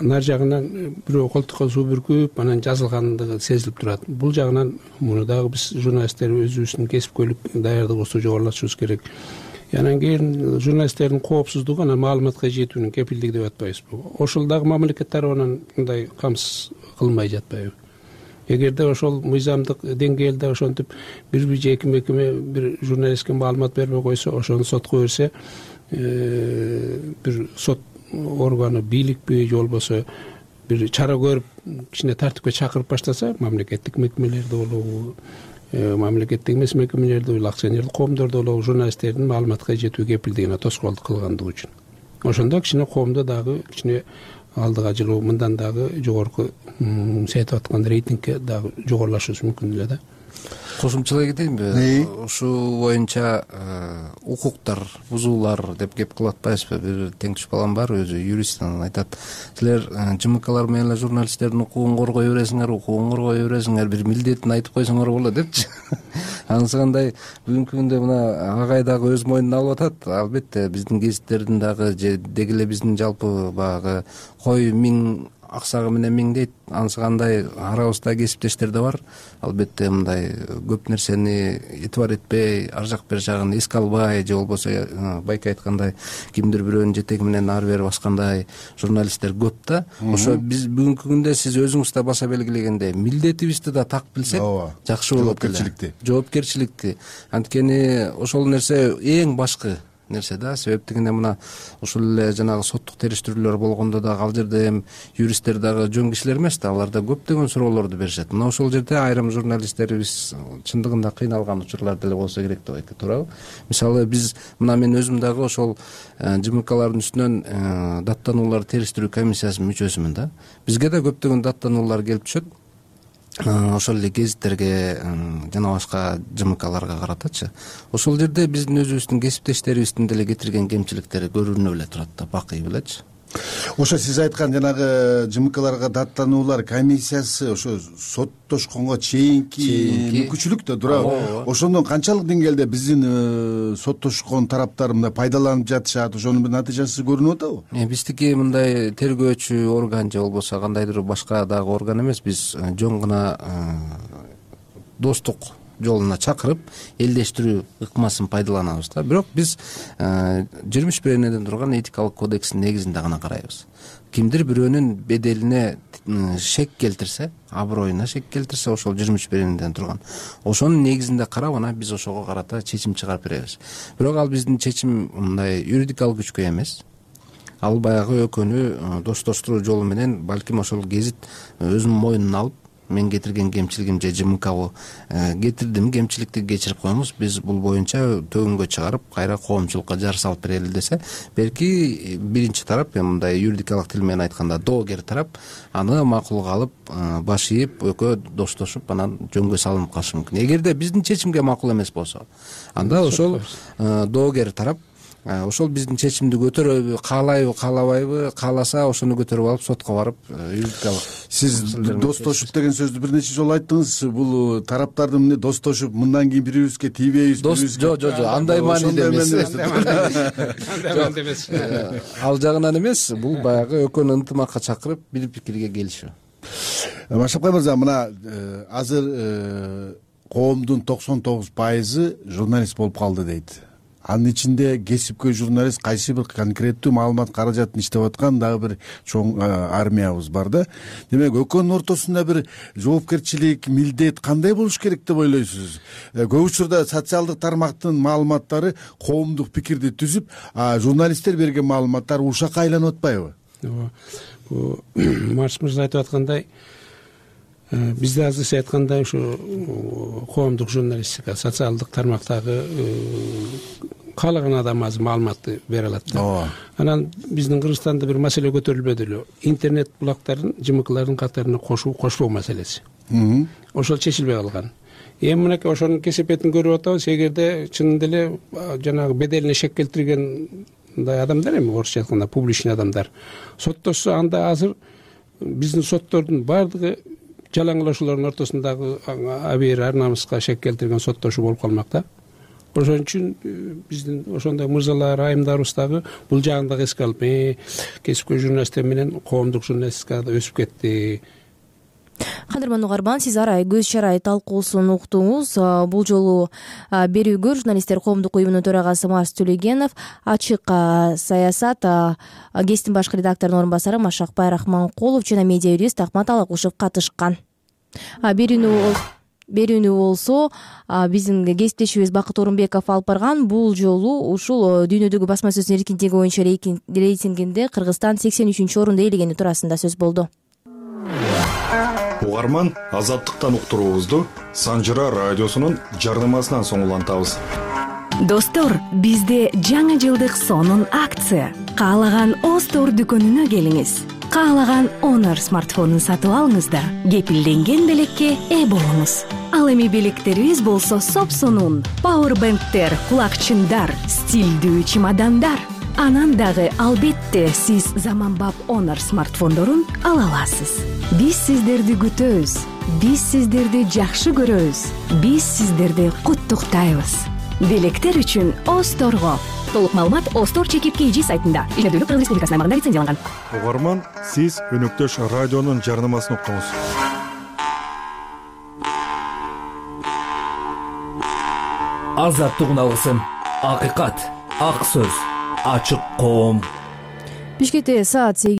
нар жагынан бирөө колтукка суу бүркүп анан жазылгандыгы сезилип турат. Бул жагынан муну дагы биз журналисттер өзүбүздүн кесипкөйлүк даярдыгыбызды жогорулатышыбыз керек. Анан кийин журналисттердин коопсуздугу анан маалыматка жетүүнүн кепилдиги деп атпайбызбы? Ошол дагы мамлекет тарабынан мындай камсыз кылмай жатпайбы? Эгерде ошол мыйзамдык деңгээлде ошентип бир же эки мекеме бир журналистке маалымат бербей койсо, ошону сотко берсе, бир сот органы, бийликпи же болбосо бир чара көрүп кичине тартипке чакырып баштаса, мамлекеттик мекемелерде болобу, мамлекеттик эмес мекемелерде болобу, акционерлик коомдордо болобу журналисттердин маалыматка жетүү кепилдигине тоскоолдук кылгандыгы үчүн ошондо кичине коомдо дагы кичине алдыга жылуу мындан дагы жогорку сеетип аткан рейтингке дагы жогорулашыбыз мүмкүн эле да. Кошумчалай кетейинби? Ушул боюнча укуктар бузуулар деп кеп кылып атпайбызбы? Бир теңдеш балам бар, өзү юрист, анан айтат, силер ЖМКлар менен эле журналисттердин укугун коргой бересиңер, укугун коргой бересиңер, бир милдетин айтып койсоңор болот депчи. Анысы кандай бүгүнкү күндө мына агай дагы өз мойнуна алып атат. Албетте биздин гезиттердин дагы же деги эле биздин жалпы баягы кой миң аксагы менен миң дейт, анысы кандай арабызда кесиптештер да бар. Албетте мындай көп нерсени этибар этпей, ар жак бер жагын эске албай, же болбосо байке айткандай кимдир бирөөнүн жетеги менен ары бери баскандай журналисттер көп да. Ошо биз бүгүнкү күндө сиз өзүңүз да баса белгилегендей милдетибизди да так билсек жакшы болот. Жоопкерчиликти. Анткени ошол нерсе эң башкы нерсе да. Себеп дегенде мына ушул эле жанагы соттук териштирүүлөр болгондо дагы ал жерде эми юристтер дагы жөн кишилер эмес да, алар да көптөгөн суроолорду беришет. Мына ошол жерде айрым журналисттерибиз чындыгында кыйналган учурлар деле болсо керек деп айтты, туурабы? Мисалы биз мына мен өзүм дагы ошол ЖМКлардын үстүнөн даттанууларды териштирүү комиссиясынын мүчөсүмүн да. Бизге да көптөгөн даттануулар келип түшөт. Ошол эле гезиттерге жана башка ЖМКларга каратачы. Ошол жерде биздин өзүбүздүн кесиптештерибиздин деле кетирген кемчиликтери көрүнө эле турат да, бакый белечи. Ошо сиз айткан жанагы ЖМКларга даттануулар комиссиясы ошо соттошконго чейинки мүмкүнчүлүк да, туурабы? Ошондон канчалык деңгээлде биздин соттошкон тараптар мындай пайдаланып жатышат, ошонун бир натыйжасы көрүнүп атабы? Биздики мындай тергөөчү орган же болбосо кандайдыр башка дагы орган эмес, биз жөн гана достук жолуна чакырып элдештирүү ыкмасын пайдаланабыз да. Бирок биз 21 энеден турган этикалык кодекстин негизинде гана карайбыз. Кимдир бирөөнүн беделине шек келтирсе, аброюна шек келтирсе, ошол 21 энеден турган ошонун негизинде карап анан биз ошого карата чечим чыгарып беребиз. Бирок ал биздин чечим мындай юридикалык күчкө эмес. Ал баягы экөөнү достоштуруу жолу менен балким ошол гезит өзүнүн мойнуна алып, мен кетирген кемчилигим же ЖМКбы кетирдим, кемчиликти кечирип коебуз, биз бул боюнча төгүнгө чыгарып кайра коомчулукка жар салып берели десе, белки биринчи тарап, мындай юридикалык тил менен айтканда доогер тарап аны макулга алып, баш ийип, экөө достошуп, анан жөнгө салынып калышы мүмкүн. Эгерде биздин чечимге макул эмес болсо, анда ошол доогер тарап ошол биздин чечимди көтөрөбү, каалайбы, каалабайбы, кааласа ошону көтөрүп алып сотко барып юридикалык. Сиз достошуп деген сөздү бир нече жолу айттыңыз. Бул тараптардын эмне достошуп, мындан кийин бири бирибизге тийбейбиз, жок, андай мааниде эмес. Ал жагынан эмес, бул баягы экөөнү ынтымакка чакырып, бир пикирге келишүү. Машапкай мырза, мына азыр коомдун 99% журналист болуп калды дейт. Анын ичинде кесипкөй журналист кайсы бир конкреттүү маалымат каражатын иштеп аткан дагы бир чоң армиябыз бар да. Демек, экөөнүн ортосунда бир жоопкерчилик, милдет кандай болуш керек деп ойлойсуз? Көп учурда социалдык тармактын маалыматтары коомдук пикирди түзүп, журналисттер берген маалыматтар ушакка айланып атпайбы? Бул Марс мырза айтып аткандай, бизде азыр сиз айткандай ушу коомдук журналистика, социалдык тармактагы каалаган адам азыр маалыматты бере алат да. Анан биздин Кыргызстанда бир маселе көтөрүлбөдү эле. Интернет булактарын ЖМКлардын катарына кошпоо маселеси. Ошол чечилбей калган. Эми мынакей ошонун кесепетин көрүп атабыз. Эгерде чынында эле жанагы беделине шек келтирген мындай адамдар, эми орусча айтканда публичный адамдар соттошсо, анда азыр биздин соттордун баардыгы жалаңылашуулардын ортосундагы абийир ар намыска шек келтирген соттошуу болуп калмак да. Ошон үчүн биздин ошондой мырзалар, айымдарыбыз дагы бул жагын дагы эске алып, кесипкөй журналисттер менен коомдук журналистикада өсүп кетти. Кадырман Угарбан, сиз арай көз чарай талкуусун уктуңуз. Бул жолу берүүгө журналисттер коомдук уюмунун төрагасы Марс Төлегенов, ачык саясат гестин башкы редакторунун орун басары Машакбай Рахманкулов жана медиа юрист Акмат Алагушев катышкан. Берүүнү берүүнү болсо биздин кесиптешибиз Бакыт Орунбеков алып барган. Бул жолу ушул дүйнөдөгү басма сөздүн эркиндиги боюнча рейтингинде Кыргызстан 83 орунду ээлегени туурасында сөз болду. Угарман, Азаттыктан уктуруубузду Санжыра радиосунун жарнамасынан соң улантабыз. Достор, бизде жаңы жылдык сонун акция. Каалаган Остор дүкөнүнө келиңиз. Каалаган Honor смартфонун сатып алыңыз да кепилденген белекке ээ болуңуз. Ал эми белектерибиз болсо сопсонун. Powerbanktер, кулакчындар, стилдүү чемодандар. Анан дагы албетте сиз заманбап Honor смартфондорун ала аласыз. Биз сиздерди күтөбүз. Биз сиздерди жакшы көрөбүз. Биз сиздерди куттуктайбыз. Белектер үчүн Осторго. Толук маалымат Остор ЧК сайтында. Ишмердүүлүк Кыргыз Республикасынын аймагында лицензияланган. Угарман, сиз өнөктөш радионун жарнамасын уктуңуз. Азаттык алгысын. Акыйкат, ак сөз, ачык коом. Бишкекте саат